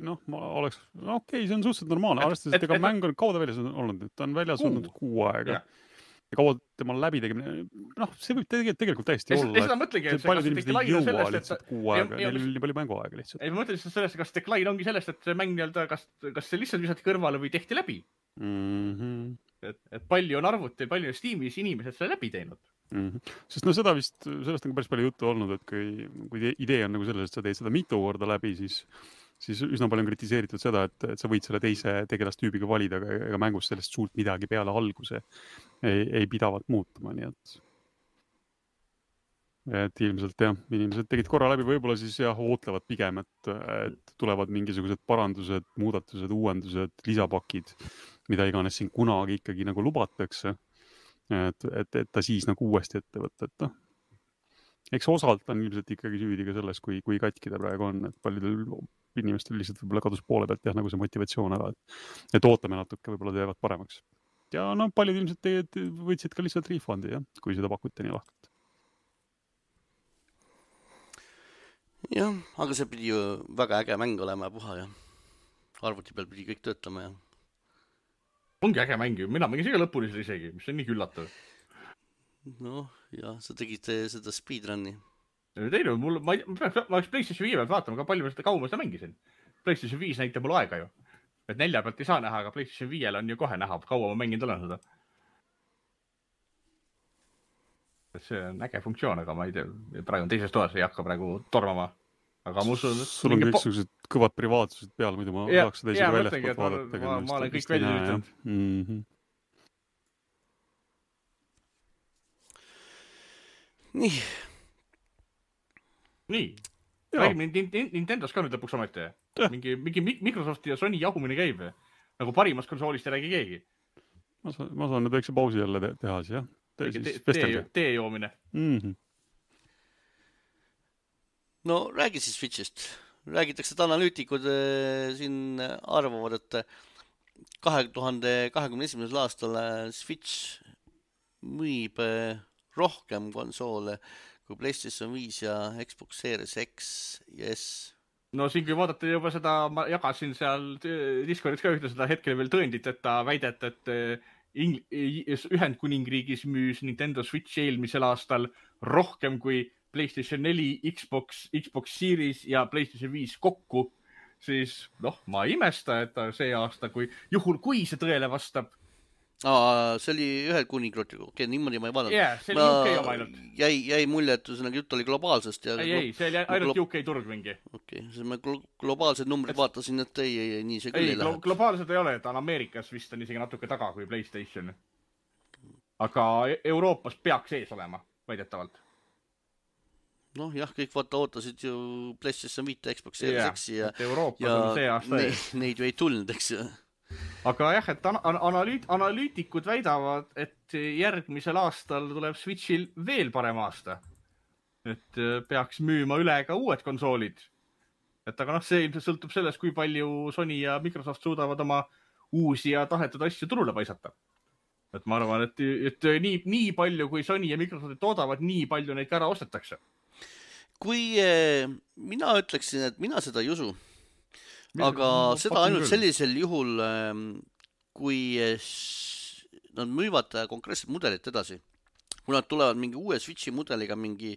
noh, ma oleks, no okei, okay, see on suhteliselt normaalne, arvestades, et ega mäng on kauda väljas olnud, ta on väljas olnud kuu aega. Ja, ja kaua tema läbi tegemine, noh, see võib tegelikult, tegelikult täiesti olla. Ja seda mõtlegi, et paljud inimesed ei jõua lihtsalt kuu aega, neil on nii palju mänguaega lihtsalt. Ei, ma mõtlen lihtsalt sellest, kas decline ongi sellest, et see mäng nii-öelda, kas, kas see lihtsalt visati kõrvale või tehti läbi. Mm-hmm. Et, et palju on arvuti, palju on Steamis inimesed selle läbi teinud. Mm-hmm. Sest no seda vist, sellest on päris palju juttu olnud, et kui, kui idee on nagu selles, et sa teed seda mitu korda läbi, siis, siis üsna palju on kritiseeritud seda, et, et sa võid selle teise tegelastüübiga valida, aga ega mängus sellest suurt midagi peale alguse ei, ei pidavat muutuma, nii et et ilmselt jah, inimesed tegid korra läbi, võib-olla siis jah, ootlevad pigem, et, et tulevad mingisugused parandused, muudatused, uuendused, lisapakid, mida iganes siin kunagi ikkagi nagu lubatakse. Et, et, et ta siis nagu uuesti ette võtta, et noh, eks osalt on ilmselt ikkagi süüdi ka selles, kui, kui katki ta praegu on, et paljudel inimestel lihtsalt võib-olla kadus poole pealt jah, nagu see motivatsioon ära, et, et ootame natuke, võib-olla teevad paremaks. Ja no paljud ilmselt teed, võtsid ka lihtsalt refundi, jah, kui seda pakuti nii lahkelt. Jah, aga see pidi ju väga äge mäng olema ja puha ja arvuti peal pidi kõik töötama ja ongi äge mäng ju, mina mängin siga lõpuni seda isegi, mis on nii üllatav. Noh, jah, sa tegid seda speedrunni. Teine, mul, ma, ma, ma oleks PlayStation viie pealt vaatama, ka palju ma seda kaua seda mängisin. PlayStation viis näitab mul aega ju. Et nelja pealt ei saa näha, aga PlayStation viiel on ju kohe näha, kaua ma mänginud olen seda. See on äge funktsioon, aga ma ei tea, praegu on teises toas, ei hakka praegu tormama. Aga ma usun, et sul on kõiksugused po... kõvad privaatsused peal, muidu ma ja, tahaks seda isegi väljast poolt vaadata. Ma, ma olen kõik välja üritanud. Mm-hmm. Nii. Nii. Räägime Nintendos ka nüüd lõpuks ometi. Mingi, mingi Microsofti ja Sony jahumine käib. Nagu parimast konsoolist ei räägi keegi. Ma saan, ma saan nüüd väikse pausi jälle te teha siis, jah? Te, siis tee, tee joomine. Mm-hmm. No räägi siis Switchist. Räägitakse, et analüütikud äh, siin arvavad, et kahe tuhande kahekümne esimesel aastal Switch müüb äh, rohkem konsoole kui PlayStation viis ja Xbox Series X ja S. No siin kui vaadata juba seda, ma jagasin seal Discordis ka ühte seda hetkel veel tõendit, et ta väidet, et Ing- Ühendkuningriigis müüs Nintendo Switch eelmisel aastal rohkem kui PlayStation neli, Xbox, Xbox Series ja PlayStation viis kokku, siis noh, ma ei imesta, et see aasta, kui juhul, kui see tõele vastab. Aa, see oli ühe kuningriigiga, okei, niimoodi ma ei vaadanud. Jah, yeah, see oli U K oma ainult. Jäi, jäi mulje, et ühesõnaga jutt oli globaalsest. Ja ei, ei, see oli ainult U K turg mingi. Okei, see ma globaalsed numbrid et... vaatasin, et ei, ei, ei, nii see küll ei, ei lähe. Globaalsed ei ole, et on Ameerikas vist on isegi natuke taga kui PlayStation. Aga Euroopas peaks ees olema, väidetavalt. Noh, jah, kõik vaata ootasid ju PlayStation viis, Xbox Series X ja, ja see aasta neid, neid ju ei tulnud, eks ju. Aga jah, et an analüüt analüütikud väidavad, et järgmisel aastal tuleb Switchil veel parem aasta. Et peaks müüma üle ka uued konsoolid. Et aga noh, see ilmselt sõltub sellest, kui palju Sony ja Microsoft suudavad oma uusi ja tahetud asju turule paisata. Et ma arvan, et, et nii, nii palju, kui Sony ja Microsoft toodavad, nii palju neid ka ära ostetakse. Kui eh, mina ütleksin, et mina seda ei usu, aga ma seda ainult küll. Sellisel juhul, kui nad müüvad konkreetset mudelit edasi. Kui nad tulevad mingi uue Switchi mudeliga, mingi,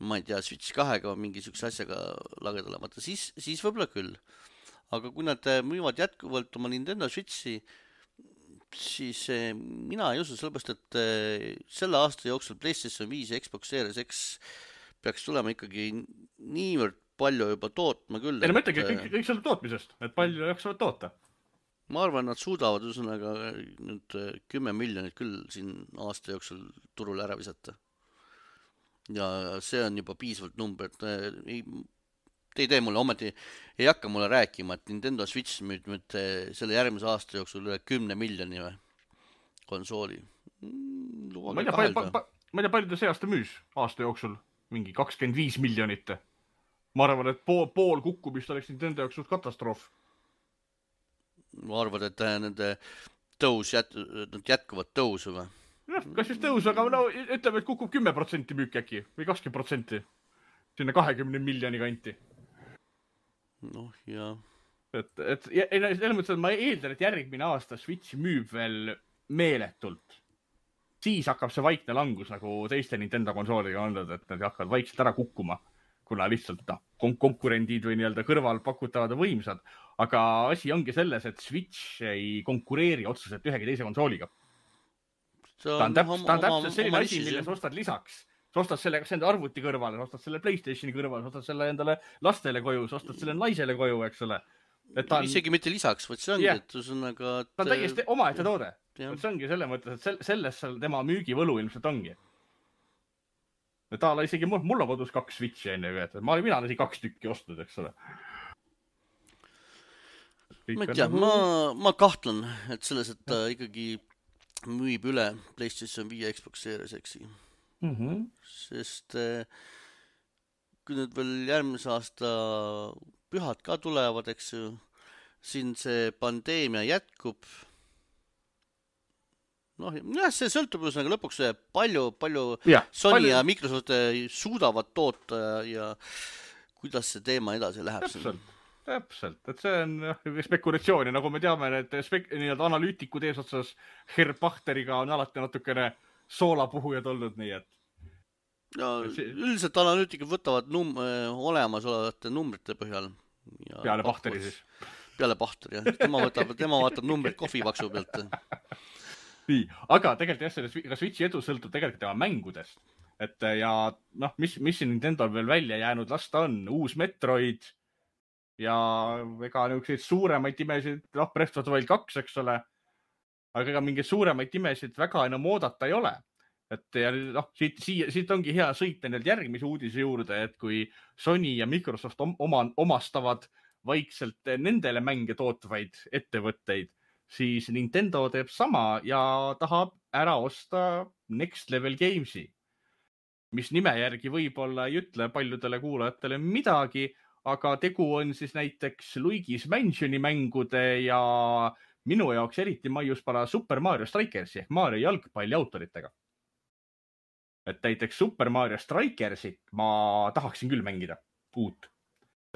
ma ei tea, Switch kahega või mingi sükse asjaga lagedale, vaata, siis, siis võib-olla küll. Aga kui nad müüvad jätkuvalt oma Nintendo Switchi, siis mina ei usu, sellepärast, et selle aasta jooksul PlayStation viis ja Xbox Series X peaks tulema ikkagi niivõrd palju juba tootma küll. Ei, no ma ütlengi, kõik, kõik selle tootmisest, et palju jaksavad toota. Ma arvan, nad suudavad üsõnaga nüüd kümme miljonit küll siin aasta jooksul turule ära visata. Ja see on juba piisavalt number, et ei, te ei tee mulle, ometi ei hakka mulle rääkima, et Nintendo Switch müüd nüüd selle järgmise aasta jooksul üle kümne miljoni või konsooli. Ma ei tea, palju, pa, ma ei tea, palju ta see aasta müüs aasta jooksul, mingi kakskümmend viis miljonit. Ma arvan, et pool, pool kukkumist oleks Nintendo jaoks suht katastroof. Ma arvan, et nende tõus jät, jätkuvad tõusu või? No, kas just tõusu, aga no, ütleme, et kukub kümme protsenti müük äkki või kakskümmend protsenti sinna kahekümne miljoni kanti. Noh, jah. Et, et, ei, selles mõttes, et ma eeldan, et järgmine aasta Switch müüb veel meeletult. Siis hakkab see vaikne langus nagu teiste Nintendo konsooliga olnud, et nad hakkavad vaikselt ära kukkuma, kuna lihtsalt no, kon- konkurendid või nii-öelda kõrval pakutavad võimsad. Aga asi ongi selles, et Switch ei konkureeri otseselt ühegi teise konsooliga. Ta on, täp- ta on täpselt selline asi, mille sa ostad lisaks. Sa ostad selle kas enda arvuti kõrvale, sa ostad selle PlayStationi kõrvale, sa ostad selle endale lastele koju, sa ostad selle naisele koju, eks ole. Et ta on... Isegi mitte lisaks, võt see ongi, yeah. et üsõnaga... Et... Ta on täiesti omaette toode. Yeah. See ongi selle mõttes, et selles tema müügivõlu ilmselt ongi. Ja ta isegi mul, mul on kodus kaks Switchi enne, et ma olen mina isegi kaks tükki ostnud, eks ole. Ma ei tea, ma, ma kahtlen, et selles, et ta ikkagi müüb üle PlayStation viie Xbox Series X-i. Mm-hmm. Sest kui nüüd veel järgmise aasta pühad ka tulevad, eks ju, siin see pandeemia jätkub. Noh, jah, see sõltub üsnaga lõpuks palju, palju ja, Sony palju... ja Microsoft suudavad toota ja kuidas see teema edasi läheb. Täpselt, täpselt. Et see on spekulatsiooni, nagu me teame, et spek- nii-öelda analüütikud eesotsas Herr Bachteriga on alati natukene soolapuhujad olnud, nii et ja see... üldiselt analüütikud võtavad num- olemasolevate numbrite põhjal. Ja peale Bachteri siis. Peale Bachteri, jah. Tema võtab, tema vaatab numbrid kohvipaksu pealt. Nii, aga tegelikult jah, selle ka Switchi edu sõltub tegelikult tema mängudest. Et ja noh, mis, mis siin Nintendo veel välja jäänud lasta on? Uus Metroid ja ega niisuguseid suuremaid imesid, noh, Breath of the Wild kaks, eks ole. Aga ega mingeid suuremaid imesid väga enam oodata ei ole. Et ja noh, siit, siit, siit ongi hea sõita nüüd järgmise uudise juurde, et kui Sony ja Microsoft oma, omastavad vaikselt nendele mänge tootvaid ettevõtteid, siis Nintendo teeb sama ja tahab ära osta Next Level Gamesi, mis nime järgi võib-olla ei ütle paljudele kuulajatele midagi, aga tegu on siis näiteks Luigi's Mansioni mängude ja minu jaoks eriti maiuspala Super Mario Strikersi ehk Mario jalgpalli autoritega. Et näiteks Super Mario Strikersit ma tahaksin küll mängida uut.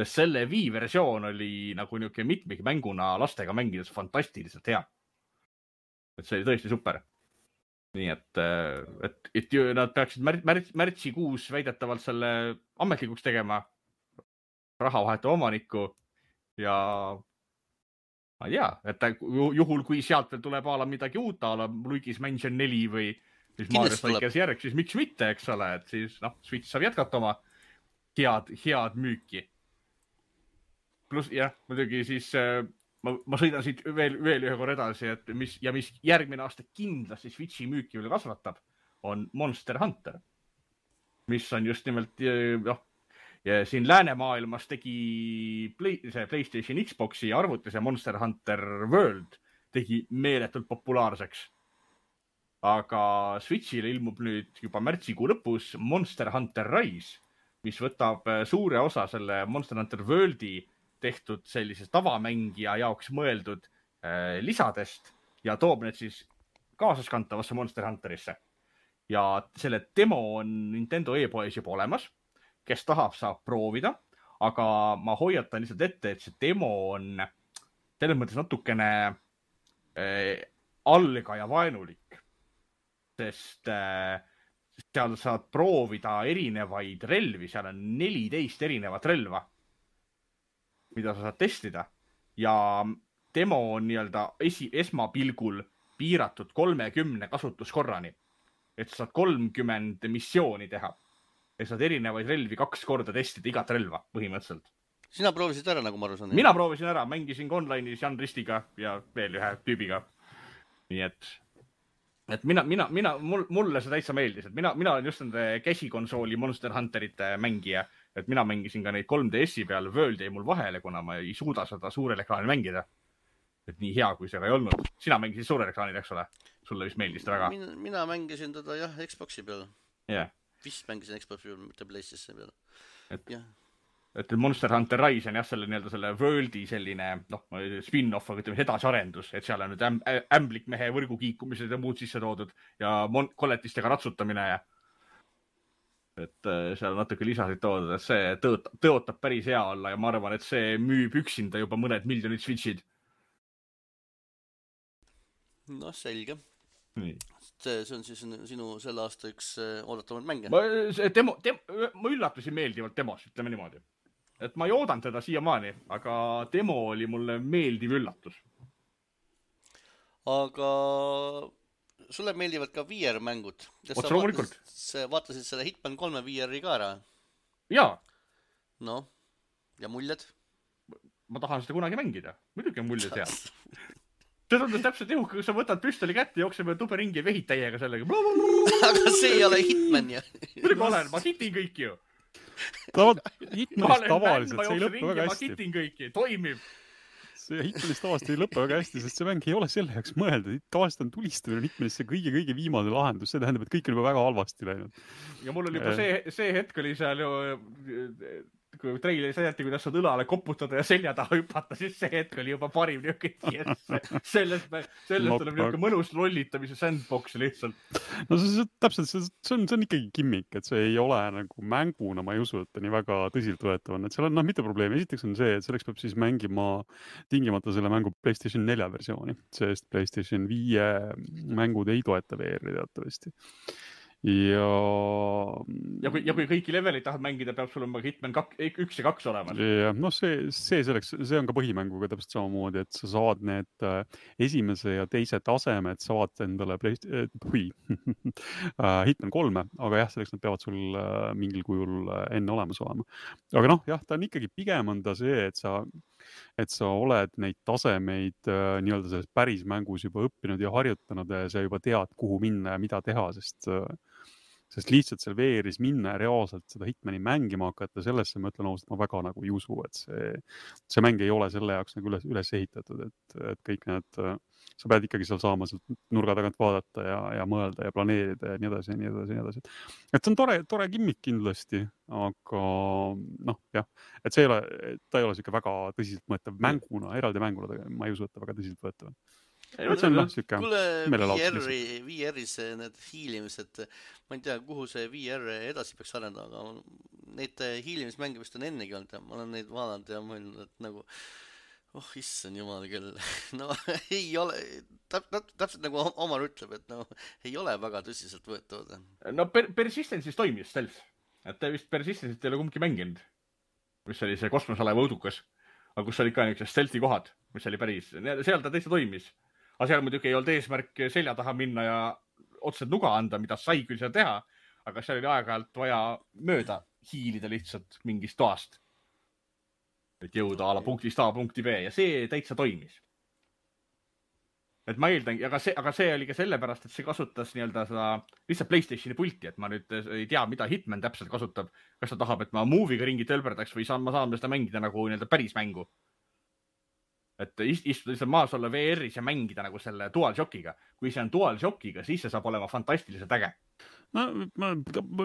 Sest selle Wii versioon oli nagu niuke mitmik mänguna lastega mängides fantastiliselt hea. Et see oli tõesti super. Nii et, et, et nad peaksid mär, mär, märtsikuus väidetavalt selle ametlikuks tegema raha vahetava omaniku ja ma ei tea, et juhul kui sealt veel tuleb ala midagi uut, ala Luigi's Mansion neli või siis Mario Strikers järg, siis miks mitte, eks ole, et siis noh, Switch saab jätkata oma head, head müüki. Plus, jah, muidugi siis ma, ma sõidan siit veel, veel ühe korra edasi, et mis, ja mis järgmine aasta kindlasti Switchi müüki veel kasvatab, on Monster Hunter, mis on just nimelt, noh, ja siin läänemaailmas tegi play, see PlayStation Xboxi arvutis ja Monster Hunter World tegi meeletult populaarseks. Aga Switchile ilmub nüüd juba märtsikuu lõpus Monster Hunter Rise, mis võtab suure osa selle Monster Hunter Worldi tehtud sellisest tavamängija jaoks mõeldud äh, lisadest ja toob need siis kaasaskantavasse Monster Hunterisse. Ja selle demo on Nintendo e-poes juba olemas, kes tahab, saab proovida, aga ma hoiatan lihtsalt ette, et see demo on selles mõttes natukene äh, algaja vaenulik. Sest äh, seal saad proovida erinevaid relvi, seal on neliteist erinevat relva, mida sa saad testida ja demo on nii-öelda esi, esmapilgul piiratud kolmekümne kasutuskorrani, et sa saad kolmkümmend missiooni teha ja saad erinevaid relvi kaks korda testida igat relva põhimõtteliselt. Sina proovisid ära, nagu ma aru saan? Mina proovisin ära, mängisin online'is Jan Ristiga ja veel ühe tüübiga. Nii et, et mina, mina, mina, mul, mulle see täitsa meeldis, et mina, mina olen just nende käsikonsooli Monster Hunterite mängija, et mina mängisin ka neid kolm D S-i peal, World jäi mul vahele, kuna ma ei suuda seda suurel ekraanil mängida. Et nii hea, kui see ka ei olnud. Sina mängisid suurel ekraanil, eks ole? Sulle vist meeldis ta väga? Mina, mina mängisin teda jah, Xboxi peal. Yeah. Vist mängisin Xboxi peal, mitte PlayStation peal. Et, jah. Et Monster Hunter Rise on jah, selle, nii-öelda selle Worldi selline noh, spin-off, aga ütleme edasiarendus, et seal on nüüd äm, ämblikmehe võrgukiikumised ja muud sisse toodud ja mon- kolletistega ratsutamine ja et seal natuke lisasid toodud, et see tõotab, tõotab päris hea olla ja ma arvan, et see müüb üksinda juba mõned miljonid Switchid. No selge. Nii. See, see on siis sinu selle aasta üks oodatavaid mänge. Ma, demo, dem, ma üllatusin meeldivalt demos, ütleme niimoodi. Et ma ei oodanud teda siiamaani, aga demo oli mulle meeldiv üllatus. Aga sulle meeldivad ka V R-mängud. Otse loomulikult. Vaatasid selle Hitman kolme V R-i ka ära? Jaa. No, ja muljed? Ma tahan seda kunagi mängida. Muidugi on muljed hea. See tundus täpselt juhu, kui sa võtad püstoli kätte, jookseme tube ringi ja vehid täiega sellega. Aga see ei ole Hitman ju. Muidugi olen, ma hitin kõik ju. Hitmanist tavaliselt, see ei lõppe väga hästi. Ma hitin kõiki, toimib. See Hitmanist tavaliselt ei lõppe väga hästi, sest see mäng ei ole selle jaoks mõelda. Tavaliselt on tulistamine Hitmanist see kõige-kõige viimane lahendus. See tähendab, et kõik on juba väga halvasti läinud. Ja mul oli juba see, see hetk oli seal ju... kui treileri sädeti, kuidas saad õlale koputada ja selja taha hüpata, siis see hetk oli juba parim niisugune. Sellest, sellest tuleb niisugune mõnus lollitamise sandbox lihtsalt. No see, see, täpselt, see, see, on, see on ikkagi kimmik, et see ei ole nagu mänguna, ma ei usu, et ta nii väga tõsilt võetav on. Et seal on noh, mitte probleemi. Esiteks on see, et selleks peab siis mängima tingimata selle mängu PlayStation nelja versiooni, sest PlayStation viie mängud ei toeta V R-i teatavasti. Ja... Ja kui, ja kui kõiki levelid tahad mängida, peab sul on Hitman kak, üks ja kaks olemas. Ja, no see, see, selleks, see on ka põhimänguga täpselt samamoodi, et sa saad need esimese ja teise tasemed, saad endale Playst... Hui. Hitman kolme, aga jah, selleks nad peavad sul mingil kujul enne olemas olema. Aga noh, jah, ta on ikkagi pigem on ta see, et sa et sa oled neid tasemeid nii-öelda selles päris mängus juba õppinud ja harjutanud ja sa juba tead, kuhu minna ja mida teha, sest, sest lihtsalt seal V R-is minna ja reaalselt seda Hitmani mängima hakata, sellesse ma ütlen ausalt, ma väga nagu ei usu, et see, see mäng ei ole selle jaoks nagu üles, üles ehitatud, et, et kõik need, sa pead ikkagi seal saama sealt nurga tagant vaadata ja, ja mõelda ja planeerida ja nii edasi ja nii edasi ja nii edasi. Et see on tore, tore kimmik kindlasti, aga noh, jah, et see ei ole, ta ei ole siuke väga tõsiselt mõõtav mänguna, eraldi mänguna, ma ei usu, et ta väga tõsiselt võetav. See on noh, siuke meelelaudus. V R-is need hiilimised, ma ei tea, kuhu see V R edasi peaks arendada, aga neid hiilimismänge vist on ennegi olnud ja ma olen neid vaadanud ja mõelnud, et nagu oh, issand jumal küll. No ei ole, täp, täp, täpselt nagu Omar ütleb, et no ei ole väga tõsiselt võetavad. No per, Persistence'is toimis stealth. Et ta vist Persistence'it ei ole kumbki mänginud. Mis oli see kosmosalaeva õudukas. Aga kus oli ka niisugused stealthi kohad, mis oli päris. Seal ta täitsa toimis. Aga seal muidugi ei olnud eesmärk selja taha minna ja otseselt nuga anda, mida sai küll seal teha. Aga seal oli aeg-ajalt vaja mööda hiilida lihtsalt mingist toast. Et jõuda ala punktist A punkti B ja see täitsa toimis. Et ma eeldan, aga see, aga see oli ka sellepärast, et see kasutas nii-öelda seda lihtsalt PlayStationi pulti, et ma nüüd ei tea, mida Hitman täpselt kasutab. Kas ta tahab, et ma movie'ga ringi tölberdaks või saan, ma saan seda mängida nagu nii-öelda päris mängu. Et istuda lihtsalt maas olla V R-is ja mängida nagu selle DualShockiga. Kui see on DualShockiga, siis see saab olema fantastiliselt äge. No, ma,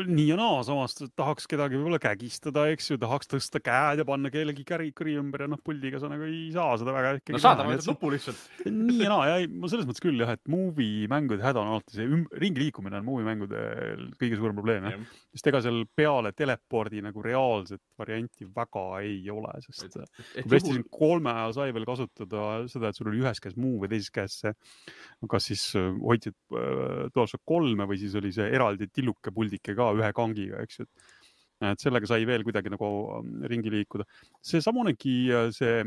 nii ja naa, samast tahaks kedagi võib-olla kägistada, eks ju, tahaks tõsta käed ja panna kellegi käri kõri ümber ja noh, puldiga sa nagu ei saa seda väga ikkagi. No saada võtad nupu lihtsalt. Nii ja naa, ja ei, ma selles mõttes küll jah, et movie mängude häda on alati see üm, ringi liikumine on movie mängude kõige suurem probleem. Ja. Just ega seal peale telepordi nagu reaalset varianti väga ei ole, sest et, et PlayStation juhul... kolme ajal sai veel kasutada seda, et sul oli ühes käes muu või teises käes see, kas siis hoidsid äh, DualShock kolme või siis oli see eraldi tilluke puldike ka ühe kangiga, eks ju. et sellega sai veel kuidagi nagu ringi liikuda. See samunegi see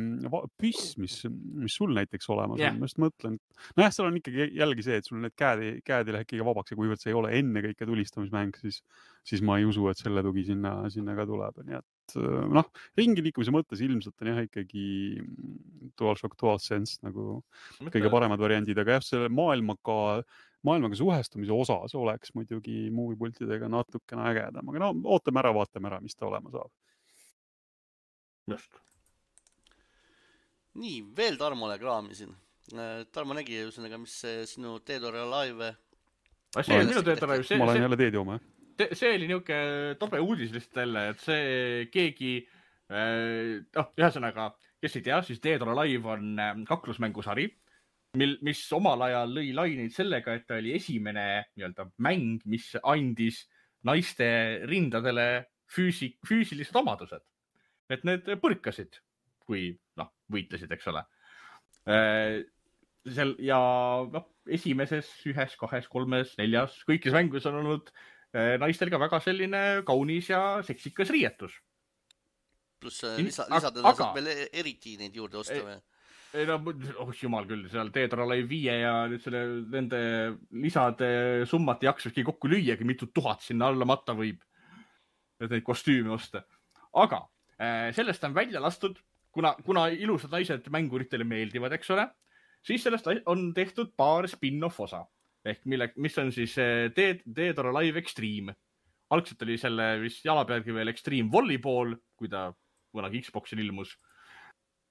püss, mis, mis sul näiteks olemas yeah. on, ma just mõtlen, no jah, seal on ikkagi jälgi see, et sul need käed, käed ei lähe ikkagi vabaks ja kuivõrd see ei ole enne kõike tulistamismäng, siis, siis ma ei usu, et selle tugi sinna, sinna ka tuleb. Nii et noh, ringi liikumise mõttes ilmselt on jah ikkagi DualShock DualSense nagu Mõtle. kõige paremad variandid, aga jah, selle maailmaga maailmaga suhestumise osas oleks muidugi movie-pultidega natukene ägedam, aga no ootame ära, vaatame ära, mis ta olema saab. Just. Nii, veel Tarmole kraamisin. Tarmo nägi ühesõnaga, mis sinu Dead or Alive... See oli minu Dead or Alive. Ma olen jälle Dead jooma, jah. See oli niuke tobe uudis lihtsalt jälle, et see keegi... Oh, ühesõnaga, kes ei tea, siis Dead or Alive on kaklusmängusari, Mil, mis omal ajal lõi laineid sellega, et ta oli esimene nii-öelda mäng, mis andis naiste rindadele füüsi, füüsilised omadused. Et need põrkasid, kui noh, võitlesid, eks ole. Seal, ja noh, esimeses, ühes, kahes, kolmes, neljas, kõikis mängus on olnud naistel ka väga selline kaunis ja seksikas riietus. Pluss lisa, lisadena saab veel eriti neid juurde osta või? Ei no, oh jumal küll, seal Dead or Alive viie ja nüüd selle, nende lisade summat jaksakski kokku lüüagi, mitu tuhat sinna alla matta võib, et neid kostüüme osta. Aga sellest on välja lastud, kuna, kuna ilusad naised mänguritele meeldivad, eks ole, siis sellest on tehtud paar spin-off osa, ehk mille, mis on siis Dead, Dead or Alive Extreme. Algselt oli selle vist jala pealgi veel Extreme Volleyball, kui ta kunagi Xboxil ilmus.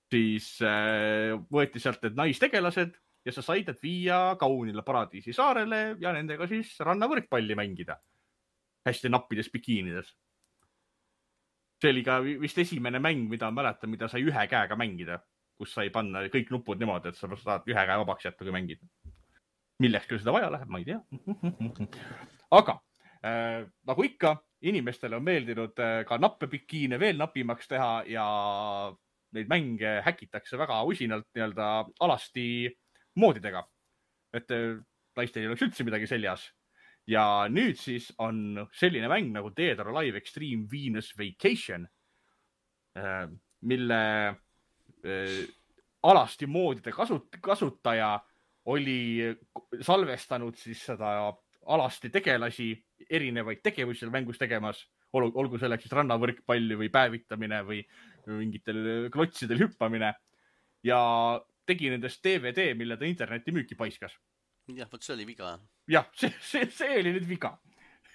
Siis äh, võeti sealt need naistegelased ja sa said need viia kaunile paradiisi saarele ja nendega siis rannavõrkpalli mängida. Hästi nappides bikiinides. See oli ka vist esimene mäng, mida mäletan, mida sai ühe käega mängida, kus sai panna kõik nupud niimoodi, et sa saad ühe käe vabaks jätta, kui mängid. Milleks küll seda vaja läheb, ma ei tea. Aga äh, nagu ikka, inimestele on meeldinud äh, ka nappe bikiine veel napimaks teha ja neid mänge häkitakse väga usinalt nii-öelda alasti moodidega. Et naistel ei oleks üldse midagi seljas. Ja nüüd siis on selline mäng nagu Dead or Alive Extreme Venus Vacation, mille alasti moodide kasut- kasutaja oli salvestanud siis seda alasti tegelasi erinevaid tegevusi seal mängus tegemas. Olgu selleks siis rannavõrkpalli või päevitamine või mingitel klotsidel hüppamine ja tegi nendest D V D, mille ta interneti müüki paiskas. Jah, võt see oli viga. Jah, see, see, see oli nüüd viga.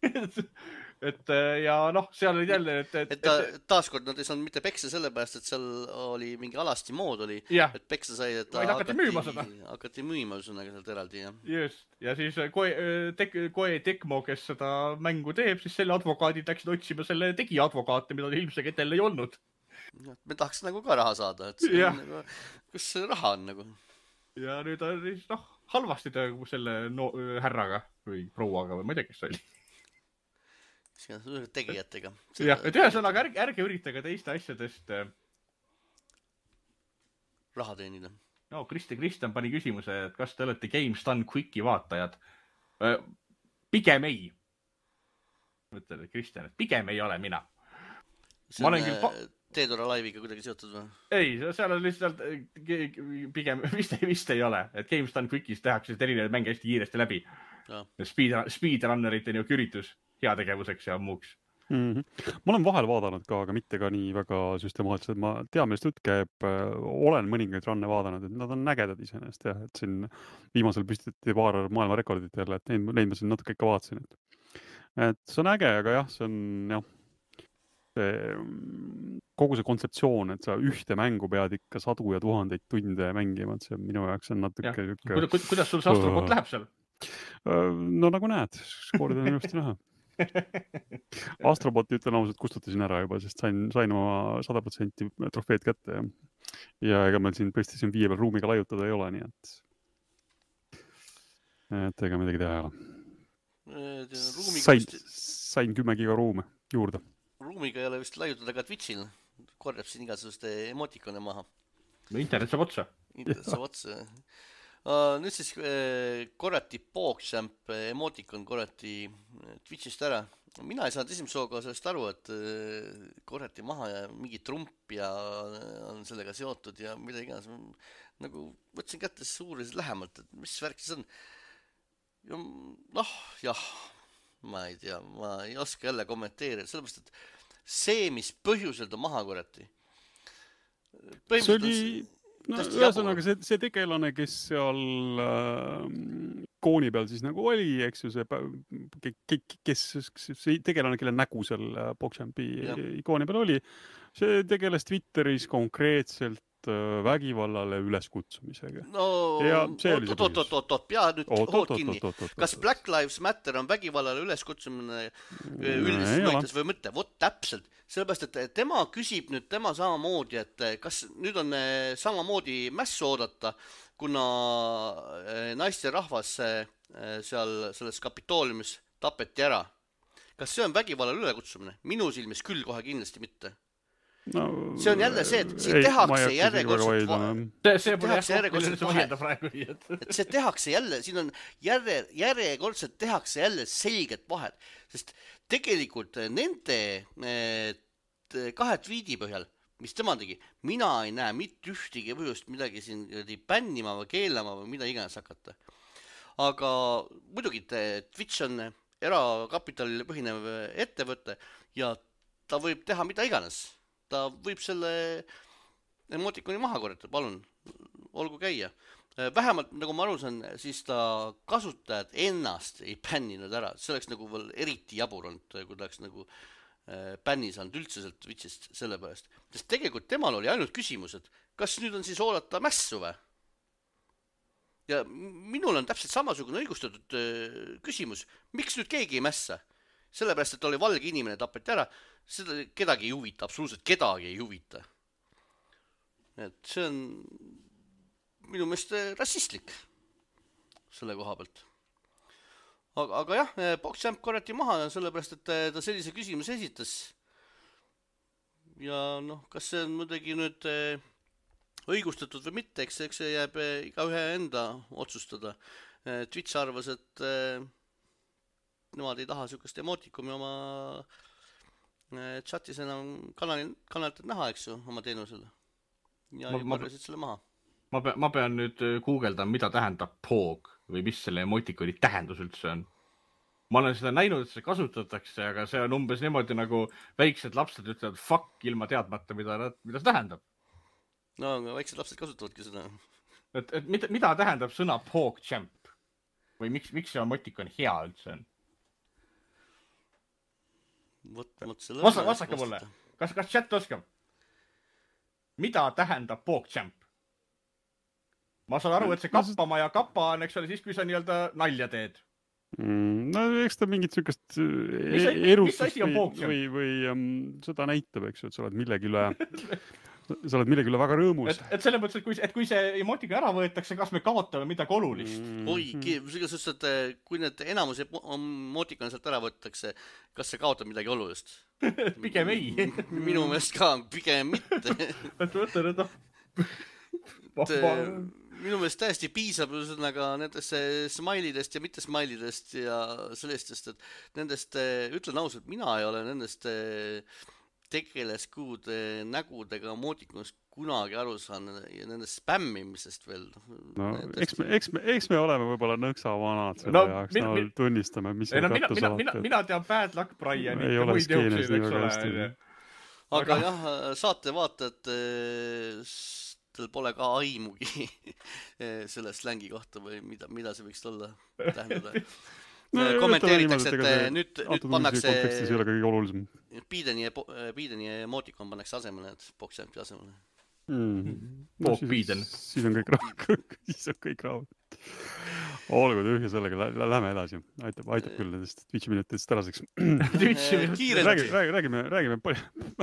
et ja noh, seal oli jälle... Et, et, et ta taaskord nad ei saanud mitte peksa sellepärast, et seal oli mingi alasti mood oli, ja. Et peksa sai, et ta hakati müüma seda. Hakati müüma sõnaga sealt eraldi, jah. Just, ja siis Koe, tek, Koe Tekmo, kes seda mängu teeb, siis selle advokaadid läksid otsima selle tegi advokaate, mida ilmselt etel ei olnud. Me tahaks nagu ka raha saada, et see on nagu, kus see raha on nagu. Ja nüüd on siis, noh, halvasti ta selle no, härraga või prouaga või ma ei tea, kes see oli. Tegijatega. Jah, et ühesõnaga ärge, ärge üritage teiste asjadest raha teenida. No, Kristi Kristjan pani küsimuse, et kas te olete Games Done Quicki vaatajad? Pigem ei. Mõtlen, et Kristjan, et pigem ei ole mina. See on pa... Dead or Alive'iga kuidagi seotud või? Ei, seal on lihtsalt pigem vist, vist ei ole. Et Games Done Quickis tehakse erinevaid mänge hästi kiiresti läbi. Ja. Speed, speedrunnerite niuke üritus heategevuseks ja muuks. Mm-hmm. Ma olen vahel vaadanud ka, aga mitte ka nii väga süstemaatiliselt. Ma tean, millest jutt käib, olen mõningaid runne vaadanud, et nad on nägedad iseenesest, jah, et siin viimasel püstiti paar maailma rekordit jälle, et neid, neid ma siin natuke ikka vaatasin. Et, et see on äge, aga jah, see on jah, see, kogu see kontseptsioon, et sa ühte mängu pead ikka sadu ja tuhandeid tunde mängima, et see minu jaoks on natuke... Kuida, kuidas, kuidas sul see astrobot läheb seal? No nagu näed, skoorid on ilusti näha. Astroboti ütlen ausalt kustutasin ära juba, sest sain, sain oma sada protsenti trofeed kätte ja, ja ega meil siin PlayStation viie peal ruumiga laiutada ei ole, nii et et ega midagi teha ei ole. Sain, sain kümme giga ruume juurde. Ruumiga ei ole vist laiutada ka Twitchil, korjab siin igasuguste emotikone maha. No internet saab otsa. Internet saab otsa. Uh, nüüd siis uh, korrati PogChamp emotikon korrati Twitchist ära, mina ei saanud esimese hooga sellest aru, et korjati maha ja mingi trump ja on sellega seotud ja mida iganes. Nagu võtsin kätte suuriselt lähemalt, et mis värk siis on. Ja, noh, jah, ma ei tea, ma ei oska jälle kommenteerida, sellepärast, et see, mis põhjusel ta maha korjati. See oli, no ühesõnaga see, see tegelane, kes seal äh, kooni peal siis nagu oli, eks ju, see, kes, see tegelane, kelle nägu seal Pogchampi ikooni peal oli, see tegeles Twitteris konkreetselt vägivallale üleskutsumisega. No, oot-oot-oot-oot, pea nüüd hood kinni. Kas Black Lives Matter on vägivallale üleskutsumine üldises mõttes või mõte? Vot täpselt. Sellepärast, et tema küsib nüüd tema samamoodi, et kas nüüd on samamoodi mässu oodata, kuna naiste rahvas seal selles kapitooliumis tapeti ära. Kas see on vägivallale ülekutsumine? Minu silmis küll kohe kindlasti mitte. No, see on jälle see, et siin ei, tehakse järjekordselt see, see pole järjekordselt vahelda praegu et see tehakse jälle, siin on järje, järjekordselt tehakse jälle selget vahet, sest tegelikult nende kahe tweedi põhjal, mis tema tegi, mina ei näe mitte ühtegi põhjust midagi siin bännima või keelama või mida iganes hakata. Aga muidugi Twitch on erakapitalile põhinev ettevõte ja ta võib teha mida iganes. Ta võib selle emotikoni maha korjata, palun, olgu käia. Vähemalt, nagu ma aru saan, siis ta kasutajad ennast ei bänninud ära. See oleks nagu veel eriti jabur olnud, kui ta oleks nagu bänni saanud üldse sealt Twitchist selle pärast. Sest tegelikult temal oli ainult küsimus, et kas nüüd on siis oodata mässu või? Ja minul on täpselt samasugune õigustatud küsimus. Miks nüüd keegi ei mässa? Sellepärast, et oli valge inimene tapeti ära, seda kedagi ei huvita, absoluutselt kedagi ei huvita. Et see on minu meelest rassistlik selle koha pealt. Aga, aga jah, Pogchamp korjati maha, sellepärast, et ta sellise küsimuse esitas. Ja noh, kas see on muidugi nüüd õigustatud või mitte, eks, eks see jääb iga ühe enda otsustada. Twitch arvas, et nemad ei taha sükast emotikumi oma chatis enam kanali, kanalilt näha, eks ju, oma teenusele. Ja ma, ma, selle maha. Ma, pean, ma pean nüüd guugeldama, mida tähendab Pog või mis selle emotikoni tähendus üldse on. Ma olen seda näinud, et see kasutatakse, aga see on umbes niimoodi nagu väiksed lapsed ütlevad fuck ilma teadmata, mida, mida see tähendab. No, aga väiksed lapsed kasutavadki seda. Et, et mida, mida tähendab sõna Pogchamp? Või miks, miks see emotikon hea üldse on? Vasta, vastake mulle. Kas, kas chat oskab? Mida tähendab Pogchamp? Ma saan aru, et see kappama ja kappa on, eks ole, siis kui sa nii-öelda nalja teed. Mm, no eks ta mingit sükast mis, erutust või, või, või um, seda näitab, eks ju, et sa oled millegi üle sa oled millegi üle väga rõõmus. Et, et selle mõttes, et kui, et kui see emotika ära võetakse, kas me kaotame midagi olulist? Mm. Oi, sest, et kui need enamus emotikon sealt ära võetakse, kas see kaotab midagi olulist? Pigem ei. Minu meelest ka, pigem mitte. et võtta nüüd minu meelest täiesti piisab ühesõnaga nendest smailidest ja mitte smailidest ja sellistest, et nendest, ütlen ausalt, mina ei ole nendest tegeleskuude nägudega mootikunast kunagi aru saan ja nendest spämmimisest veel. No, eks me, eks me, eks me oleme võib-olla nõksa vanad selle no, jaoks, no min, tunnistame, mis ei, no, mina, mina, mina, mina tean Bad Luck Brian, ei ole skeenes nii väga hästi. Aga, aga jah, saate vaatajad teil pole ka aimugi selle slängi kohta või mida, mida see võiks olla tähendada. No, kommenteeritakse, et see, nüüd, nüüd pannakse Bideni, Bideni emotikon pannakse asemele, et Pogchampi asemele. Mm. No, siis, siis on kõik rahvud. siis on kõik rahvud. Olgu tühja sellega, lähme edasi. Aitab, aitab küll nendest Twitchi minutitest tänaseks. räägime, räägime, räägime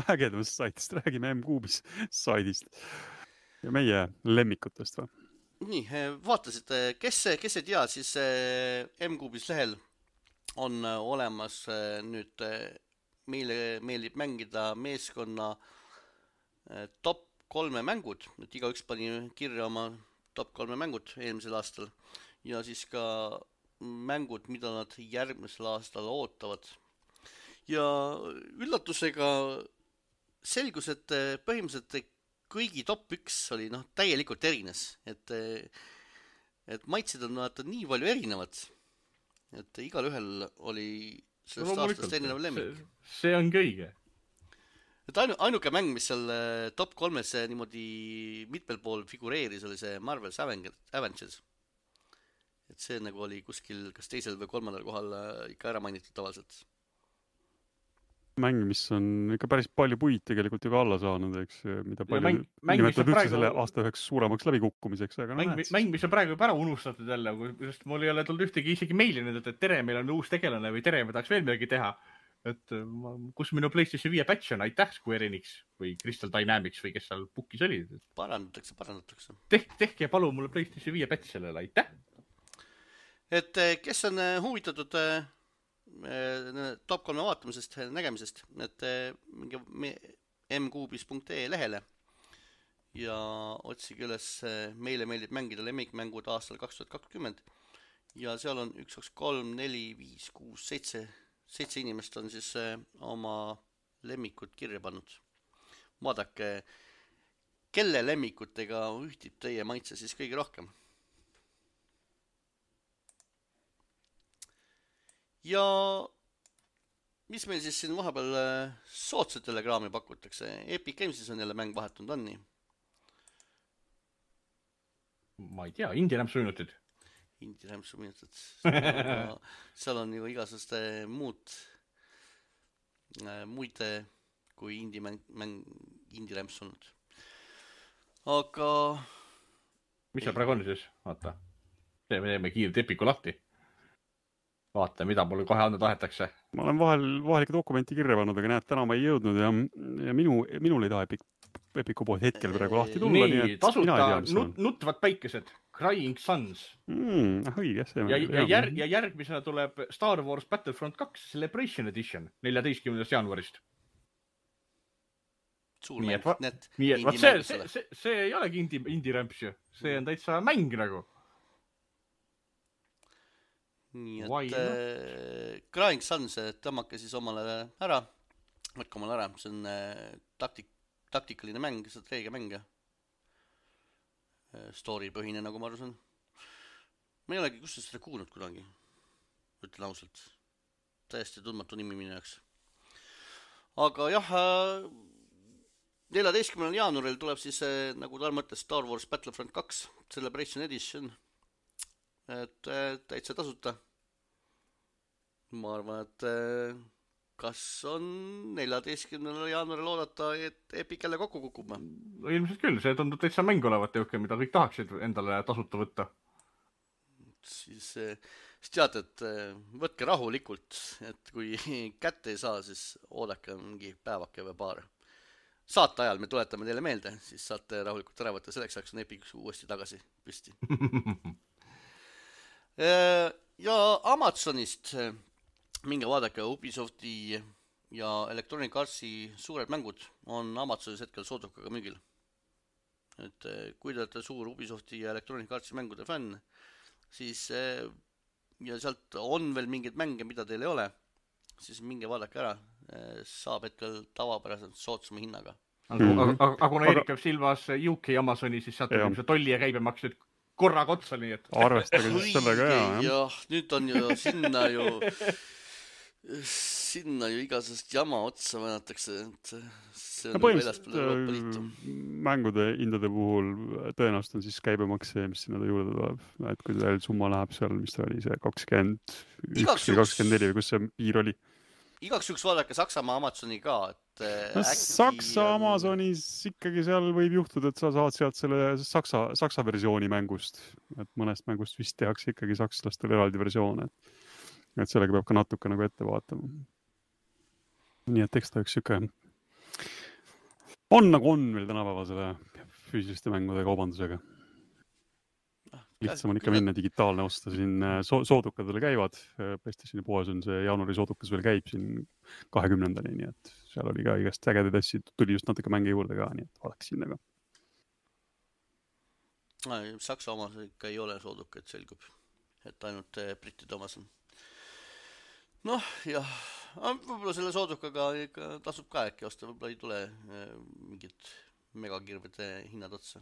ägedamast saitist, räägime M-Kuubis saidist ja meie lemmikutest või? Nii, vaatasid, kes, kes ei tea, siis M-Kuubis lehel on olemas nüüd meile meeldib mängida meeskonna top kolme mängud, et igaüks pani kirja oma top kolme mängud eelmisel aastal ja siis ka mängud, mida nad järgmisel aastal ootavad. ja üllatusega selgus, et põhimõtteliselt kõigi top üks oli noh, täielikult erines, et, et maitsid on vaata nii palju erinevad, et igal ühel oli sellest no, aastast erinev lemmik. See ongi õige. Et ainu, ainuke mäng, mis seal top kolmes niimoodi mitmel pool figureeris, oli see Marvel's Avengers. Et see nagu oli kuskil kas teisel või kolmandal kohal ikka ära mainitud tavaliselt. Mäng, mis on ikka päris palju puid tegelikult ju ka alla saanud, eks, mida palju mäng, nimetad üldse praegu... selle aasta üheks suuremaks läbikukkumiseks. Aga mäng, no, mäng, mis on praegu pära unustatud jälle, sest mul ei ole tulnud ühtegi isegi meili nüüd, et tere, meil on uus tegelane või tere, me tahaks veel midagi teha. Et ma, kus minu PlayStation viie patch on, aitäh Square Enix või Crystal Dynamics või kes seal pukis oli. Parandatakse, parandatakse. Tehke, tehke palun mulle PlayStation viie patch sellele, aitäh. Et kes on huvitatud top kolme vaatamisest, nägemisest, et mingi m kuubis punkt e lehele ja otsige üles meile meeldib mängida lemmikmängud aastal kaks tuhat kakskümmend ja seal on üks, kaks, kolm, neli, viis, kuus, seitse seitse inimest on siis oma lemmikud kirja pannud. Vaadake, kelle lemmikutega ühtib teie maitse siis kõige rohkem. Ja mis meil siis siin vahepeal soodsatele kraami pakutakse? Epic Gamesis on jälle mäng vahetunud, on nii? Ma ei tea, Indie Rämpsu minutid. Indie Rämpsu minutid. Seal on ju igasuguste muud, muid kui indie mäng, mäng Indie Rämps olnud. Aga... mis seal praegu on siis? Vaata. Me teeme kiirt Epiku lahti. Vaata, mida mulle kohe anda tahetakse. Ma olen vahel, vahelike dokumenti kirja pannud, aga näed, täna ma ei jõudnud ja, ja minu, minul ei taha Epic, Epiku pood hetkel praegu lahti tulla. Nii, nii tasuta nut, nutvad päikesed. Crying Suns. Mm, õige, see ja, ja, järg, ja järgmisena tuleb Star Wars Battlefront kaks Celebration Edition neljateistkümnendast jaanuarist. Suur mäng. Va, need nii, et, see, see, see, see ei olegi indie, indie rämps ju. See on täitsa mäng nagu. Nii, et äh, Crying Suns tõmmake siis omale ära. Võtke omale ära. See on äh, taktik, taktikaline mäng, strateegia mäng. Story põhine, nagu ma arvasin. Ma ei olegi kustas seda kuulnud kunagi. Ütlen ausalt. Täiesti tundmatu nimi minu jaoks. Aga jah, neljateistkümnendal jaanuaril tuleb siis, nagu tal mõttes, Star Wars Battlefront kaks Celebration Edition. Et täitsa tasuta. Ma arvan, et kas on neljateistkümnendal jaanuaril oodata, et Epic jälle kokku kukub? Ilmselt küll, see tundub täitsa mäng olevat jõuke, mida kõik tahaksid endale tasuta võtta. Siis, siis tead, et võtke rahulikult, et kui kätte ei saa, siis oodake mingi päevake või paar. Saate ajal me tuletame teile meelde, siis saate rahulikult ära võtta, selleks ajaks on Epic uuesti tagasi püsti. Ja Amazonist minge vaadake Ubisofti ja Electronic Artsi suured mängud on Amazonis hetkel soodukaga müügil. Et kui te olete suur Ubisofti ja Electronic Artsi mängude fänn, siis ja sealt on veel mingeid mänge, mida teil ei ole, siis minge vaadake ära. Saab hetkel tavapäraselt soodsama hinnaga. Aga, aga kuna Erik peab silmas U K Amazoni, siis sealt on see tolli ja käibemaks nüüd korraga otsa, nii et... Arvestage siis sellega ja, jah. Jah, nüüd on ju sinna ju... sinna ju igasest jama otsa vänatakse, et see on no, väljaspool Euroopa Liitu. Mängude hindade puhul tõenäoliselt on siis käibemaks see, mis sinna juurde tuleb. Et kui teil summa läheb seal, mis ta oli see kakskümmend üks või kakskümmend neli või kus see piir oli? Igaks juhuks vaadake Saksamaa Amazoni ka, et no, äkki... Saksa Amazonis ikkagi seal võib juhtuda, et sa saad sealt selle Saksa, Saksa versiooni mängust. Et mõnest mängust vist tehakse ikkagi sakslastel eraldi versioon, et et sellega peab ka natuke nagu ette vaatama. Nii et eks ta üks siuke on nagu on meil tänapäeva selle füüsiliste mängude kaubandusega. Lihtsam on ikka minna digitaalne osta, siin so- soodukadele käivad. PlayStationi poes on see jaanuari soodukas veel käib siin kahekümnendani, nii et seal oli ka igast ägedaid asju, tuli just natuke mänge juurde ka, nii et vaadaks sinna ka. Saksa omas ikka ei ole soodukad, selgub, et ainult brittide omas on. Noh, jah, võib-olla selle soodukaga ikka tasub ka äkki osta, võib-olla ei tule mingid megakirvede hinnad otsa.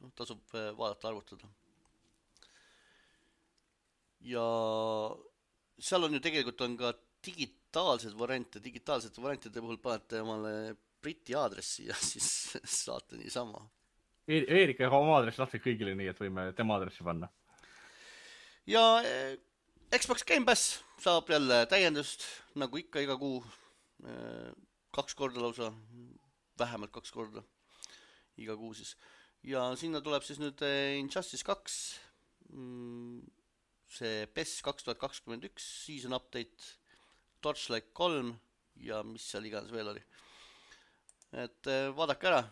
No, tasub vaadata, arvutada. Ja seal on ju tegelikult on ka digitaalsed variante, digitaalsete variantide puhul panete omale Briti aadressi ja siis saate niisama. Eerika ja oma aadressi lahti kõigile nii, et võime tema aadressi panna. Ja Xbox Game Pass saab jälle täiendust, nagu ikka iga kuu, kaks korda lausa, vähemalt kaks korda iga kuu siis. Ja sinna tuleb siis nüüd Injustice kaks, see P E S kaks tuhat kakskümmend üks season update, Torchlight kolm ja mis seal iganes veel oli. Et vaadake ära.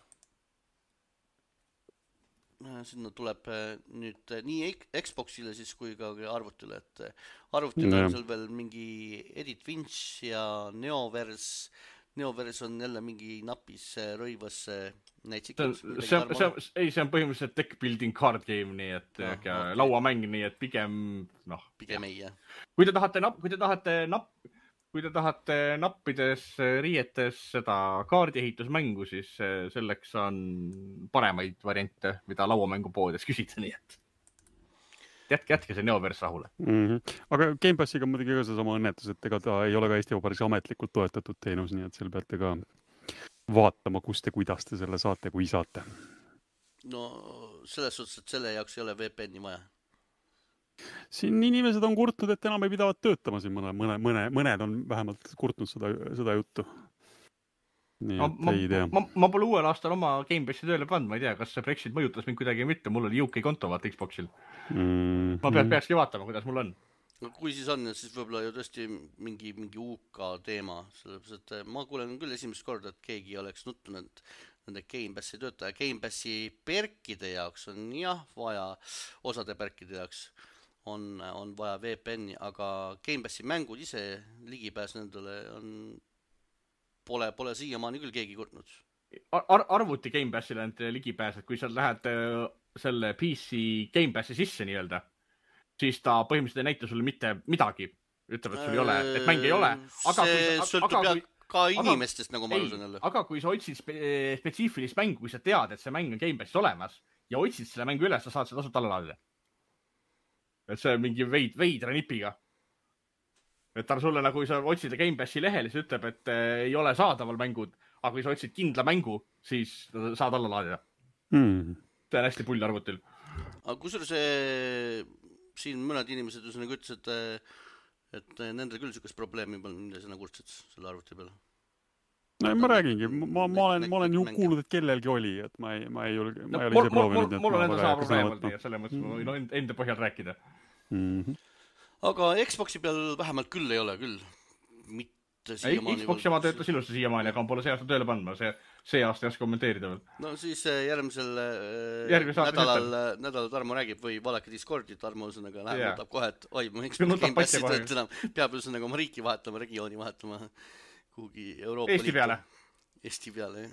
Sinna tuleb nüüd nii Xboxile siis kui ka arvutile, et arvutile on seal veel mingi Edith Finch ja Neoverse. Neoverse on jälle mingi napis rõivas näitsikus. See, see, ei, see on põhimõtteliselt deck building card game, nii et no, okay. lauamäng, nii et pigem, noh. Pigem ei, jah. Kui te tahate, kui te tahate napp, Kui te tahate nappides, riietes seda kaardiehitusmängu, siis selleks on paremaid variante, mida lauamängupoodides küsida, nii et jätke, jätke see Neoverse rahule. Mm-hmm. Aga Game Passiga on muidugi ka seesama õnnetus, et ega ta ei ole ka Eesti Vabariigis ametlikult toetatud teenus, nii et seal peate ka vaatama, kust ja kuidas te selle saate, kui saate. No selles suhtes, et selle jaoks ei ole V P N-i vaja. Siin inimesed on kurtnud, et enam ei pidavat töötama siin mõne, mõne, mõne, mõned on vähemalt kurtnud seda, seda juttu. Nii, ma, ma, ma, ma pole uuel aastal oma Game Passi tööle pannud, ma ei tea, kas see Brexit mõjutas mind kuidagi mitte, mul oli U K konto vaata Xboxil. Mm, ma pead, mm. peakski vaatama, kuidas mul on. No, kui siis on, siis võib-olla ju tõesti mingi, mingi U K teema, sellepärast, et ma kuulen küll esimest korda, et keegi oleks nuttunud nende Game Passi töötaja. Game Passi perkide jaoks on jah vaja, osade perkide jaoks on, on vaja V P N-i, aga Game Passi mängud ise ligipääs nendele on, pole, pole siiamaani küll keegi kurtnud. Ar arvuti Game Passile on ligipääs, et kui sa lähed selle P C Game Passi sisse nii-öelda, siis ta põhimõtteliselt ei näita sulle mitte midagi. Ütleb, et sul ei ole, et mäng ei ole. Aga see kui, sõltub aga, ka inimestest, aga, nagu ma alusen jälle. Aga kui sa otsid spe spetsiifilist mängu, kui sa tead, et see mäng on Game Passis olemas ja otsid selle mängu üles, sa saad seda tasuta alla laadida. Et see on mingi veid, veidra nipiga. Et ta sulle, nagu kui sa otsid Game Passi lehel, siis ütleb, et ei ole saadaval mängud, aga kui sa otsid kindla mängu, siis saad alla laadida. Mm. See on hästi pull arvutil. Aga kusur see, siin mõned inimesed nagu ütles, et, et nendel küll sükast probleemi pole, mida sa nagu kurtsid selle arvuti peale. No ma räägingi, ma, ma olen, ma olen ju kuulnud, et kellelgi oli, et ma ei, ma ei ole, ma ei ole ise proovinud. Mul on enda sama probleem olnud ja selle mõttes ma võin enda põhjal rääkida. Mm-hmm. Aga Xboxi peal vähemalt küll ei ole küll. Mitte siiamaani. Xboxi ma töötas ilusti siiamaani, aga on pole see aasta tööle pannud. See, see aasta ei oska kommenteerida veel. No siis järgmisel nädalal, nädalal Tarmo räägib või vaadake Discordi, Tarmo üsõnaga läheb, yeah. Nutab kohe, et oi, ma Xbox Game Passi tööt enam. Peab üsõnaga oma riiki vahetama, regiooni vahetama. Kuhugi Euroopa Eesti peale. Liitu. Eesti peale, jah.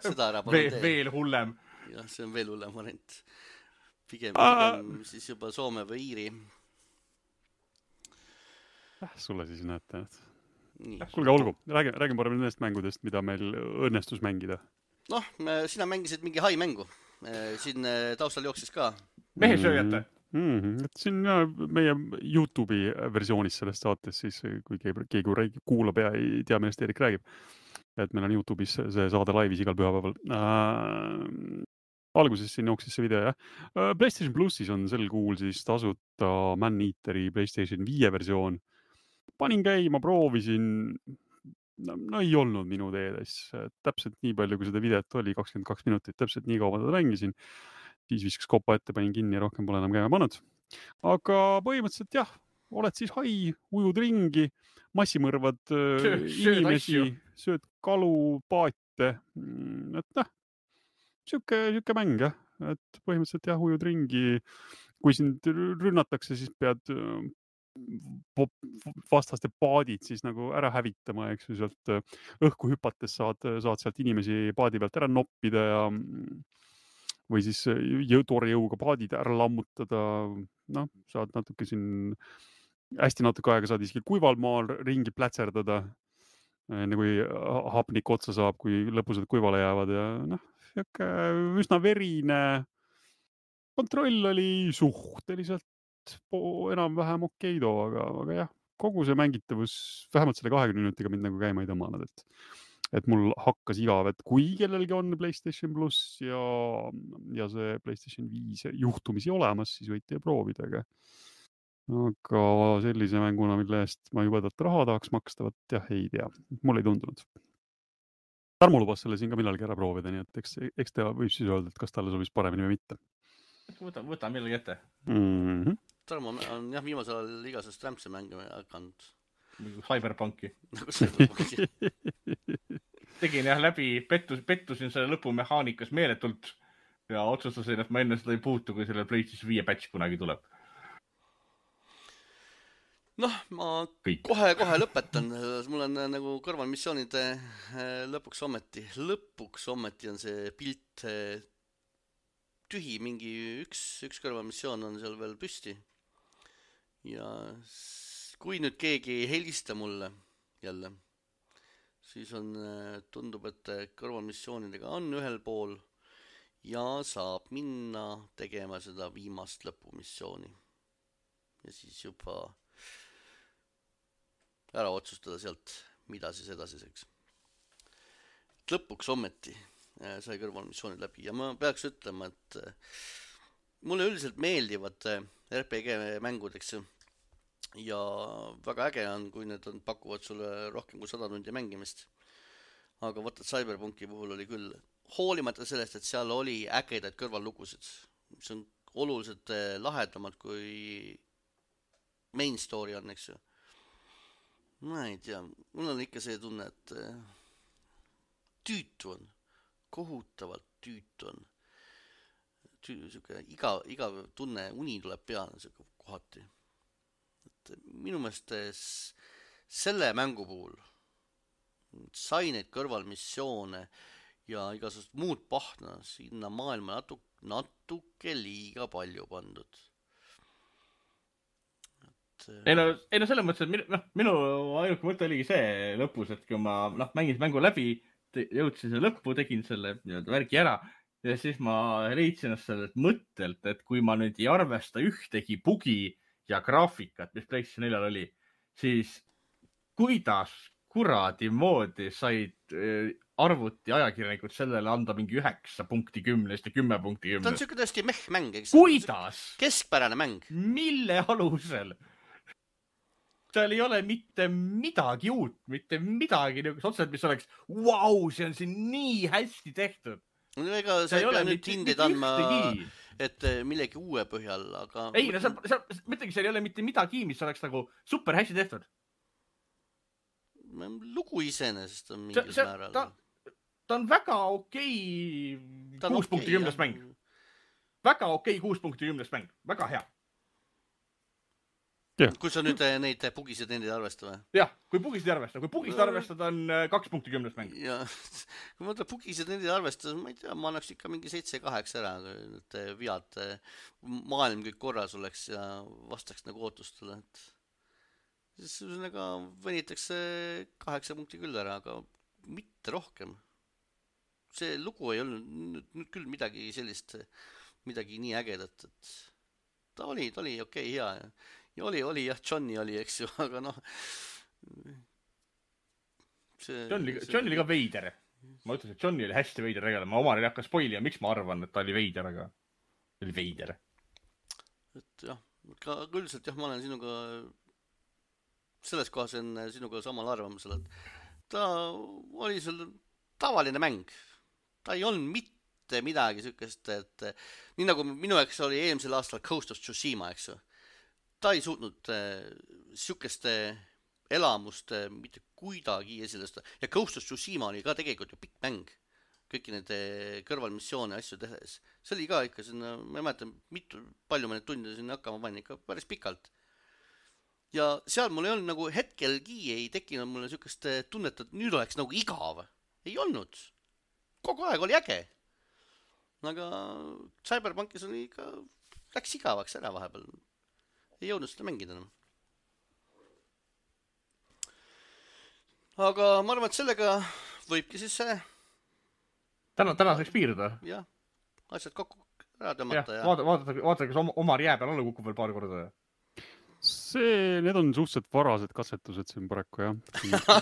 Seda ära Ve veel hullem. Jah, see on veel hullem variant. Pigem, pigem siis juba Soome või Iiri. Äh, sulle siis näete. Kuulge, olgu. Räägin, räägin parem nendest mängudest, mida meil õnnestus mängida. Noh, sina mängisid mingi hai mängu. Siin taustal jooksis ka. Mehe sööjate. Mm-hmm. Et siin ja, meie YouTube'i versioonis sellest saates, siis kui keegi, keegi kuulab ja ei tea, millest Erik räägib, et meil on YouTube'is see saade laivis igal pühapäeval. Äh, alguses siin jooksis see video, jah. Äh, PlayStation Plusis on sel kuul siis tasuta Man-Eateri PlayStation viie versioon. Panin käima, proovisin, no, no ei olnud minu teedes. Täpselt nii palju, kui seda videot oli, kakskümmend kaks minutit, täpselt nii kaua teda mängisin. Siis viskas kopa ette, panin kinni ja rohkem pole enam käima pannud. Aga põhimõtteliselt jah, oled siis hai, ujud ringi, massimõrvad sööd, inimesi, sööd kalu, paate. Et noh, süke, süke mäng, jah. Et põhimõtteliselt jah, ujud ringi. Kui sind rünnatakse, siis pead vastaste paadid siis nagu ära hävitama, eks ju, sealt õhku hüpates saad, saad sealt inimesi paadi pealt ära noppida ja või siis toore jõuga paadid ära lammutada, noh, saad natuke siin hästi natuke aega saad isegi kuival maal ringi plätserdada, enne kui hapnik otsa saab, kui lõpused kuivale jäävad ja noh, üsna verine. Kontroll oli suhteliselt enam-vähem okeido, aga, aga jah, kogu see mängitavus vähemalt selle kahekümne minutiga mind nagu käima ei tõmmanud, et et mul hakkas igav, et kui kellelgi on PlayStation Plus ja, ja see PlayStation viis juhtumisi olemas, siis võite proovida, aga aga sellise mänguna, mille eest ma juba tõtt raha tahaks maksta, võt jah, ei tea. Mul ei tundunud. Tarmo lubas selle siin ka millalgi ära proovida, nii et eks, eks ta võib siis öelda, et kas talle sobis paremini või mitte. Võta, võta millalgi ette. Mm-hmm. Tarmo on jah viimasel ajal igasest rämpse mänge hakanud. Cyberpunki. Nagu Cyberpunki. Tegin jah läbi, pettus, pettusin selle lõpumehaanikas meeletult ja otsustasin, et ma enne seda ei puutu, kui selle PlayStation viie patch kunagi tuleb. Noh, ma kohe-kohe lõpetan. Mul on nagu kõrvalmissioonide lõpuks ometi. Lõpuks ometi on see pilt tühi. Mingi üks, üks kõrvalmissioon on seal veel püsti. Ja kui nüüd keegi ei helista mulle jälle, siis on, tundub, et kõrvalmissioonidega on ühel pool ja saab minna tegema seda viimast lõpumissiooni. Ja siis juba ära otsustada sealt, mida siis edasiseks. Lõpuks ometi sai kõrvalmissioonid läbi ja ma peaks ütlema, et mulle üldiselt meeldivad R P G mängud, eks ju. Ja väga äge on, kui need on, pakuvad sulle rohkem kui sada tundi mängimist. Aga võtad Cyberpunki puhul oli küll, hoolimata sellest, et seal oli ägedaid kõrvallugusid, mis on oluliselt lahedamad kui main story on, eks ju. Ma ei tea, mul on ikka see tunne, et tüütu on, kohutavalt tüütu on. Tüütu, iga, iga tunne, uni tuleb peale kohati. Et minu meelest selle mängu puhul sai neid kõrvalmissioone ja igasugust muud pahna sinna maailma natuke, natuke liiga palju pandud. Et... Ei, no, ei no selles mõttes, et minu, no, minu ainuke mõte oligi see lõpus, et kui ma no, mängin mängu läbi, jõudsin selle lõppu, tegin selle värgi ära ja siis ma leidsin ennast sellelt mõttelt, et kui ma nüüd ei arvesta ühtegi bugi ja graafikat, mis PlayStation neljal oli, siis kuidas kuradi moodi said arvuti ajakirjanikud sellele anda mingi üheksa punkti kümnest ja kümme punkti kümnest. Ta on siuke tõesti meh-mäng, eks? Kuidas? Keskpärane mäng. Mille alusel? Seal ei ole mitte midagi uut, mitte midagi otseselt, mis oleks, vau, see on siin nii hästi tehtud. No ega sa ei pea nüüd hindid andma... et millegi uue põhjal, aga... Ei, no sa, sa, mõtlegi, seal ei ole mitte midagi, mis oleks nagu super hästi tehtud. Lugu iseenesest on mingil see, see, määral. Ta, ta on väga okei kuus punkti kümnest mäng. Väga okei kuus punkti kümnest mäng. Väga hea. Ja. Kui sa nüüd neid bugisid nendid arvesta või? Jah, kui bugisid arvesta. Kui bugisid arvestada on kaks punkti kümnest mäng. Ja, kui ma bugisid nendid arvestada, ma ei tea, ma annaks ikka mingi seitse kaheksa ära, et vead maailm kõik korras oleks ja vastaks nagu ootustele. Et siis ühesõnaga venitakse kaheksa punkti küll ära, aga mitte rohkem. See lugu ei olnud nüüd küll midagi sellist, midagi nii ägedat, et ta oli, ta oli okei, okay, hea ja Ja oli, oli, jah, Johnny oli, eks ju, aga noh... See, Johnny, see... Johnny oli ka veider. Ma ütlesin, et Johnny oli hästi veider regale. Ma omale ei hakka spoili ja miks ma arvan, et ta oli veider, aga ta oli veider. Et jah, ka üldiselt jah, ma olen sinuga... Selles kohas on sinuga samal arvamusel, et ta oli seal tavaline mäng. Ta ei olnud mitte midagi sükest, et nii nagu minu eks oli eelmisel aastal Ghost of Tsushima, eks ju. Ta ei suutnud äh, sükeste elamust äh, mitte kuidagi esilesta. Ja Ghost of Tsushima oli ka tegelikult ju pikk mäng. Kõiki need kõrvalmissioone asju tehes. See oli ka ikka sinna, ma ei mäleta, mitu, palju ma need tunde sinna hakkama panin, ikka päris pikalt. Ja seal mul ei olnud nagu hetkelgi ei tekkinud mulle sükest tunnet, et nüüd oleks nagu igav. Ei olnud. Kogu aeg oli äge. Aga Cyberpunkis oli ikka, läks igavaks ära vahepeal. Ei jõudnud seda mängida enam. aga ma arvan, et sellega võibki siis see täna, tänaseks piirduda. Jah, asjad kokku ära tõmmata. Ja vaata, vaata, vaata, kas Omar jää peal alla kukub veel paar korda. See, need on suhteliselt varased katsetused siin paraku, jah.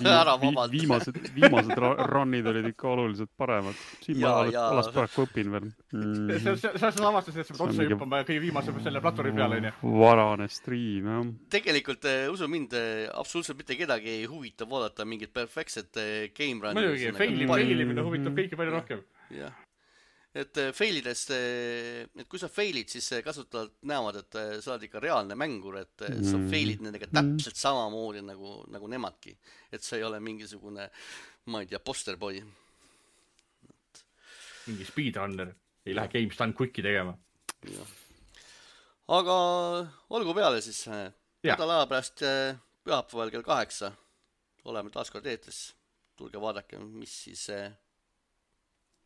Ära vabalt. Viimased, viimased runnid olid ikka oluliselt paremad. Siin ma alas paraku õpin veel. Mm. Sa sa avastasid, et sa pead otsa juppama kõige viimase selle platvormi peale, on ju? Varane stream, jah. Tegelikult, usu mind, absoluutselt mitte kedagi ei huvita vaadata mingit perfektset game run. Mõjugi, failimine huvitab kõiki palju rohkem. Jah. Et failidest, et kui sa failid, siis kasutajad näevad, et sa oled ikka reaalne mängur, et sa failid nendega täpselt samamoodi nagu, nagu nemadki. Et sa ei ole mingisugune, ma ei tea, posterboy. Mingi speedrunner, ei lähe GameStun Quicki tegema. Ja. Aga olgu peale siis, nädala aja pärast pühapäeval kell kaheksa oleme taas kord eetris. Tulge vaadake, mis siis,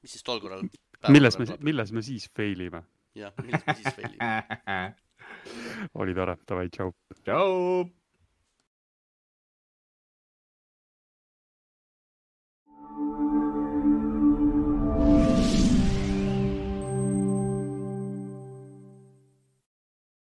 mis siis tol korral Milles me, milles me siis failime? Jah, milles me siis failime? Oli tore, tavai, tšau. Tšau!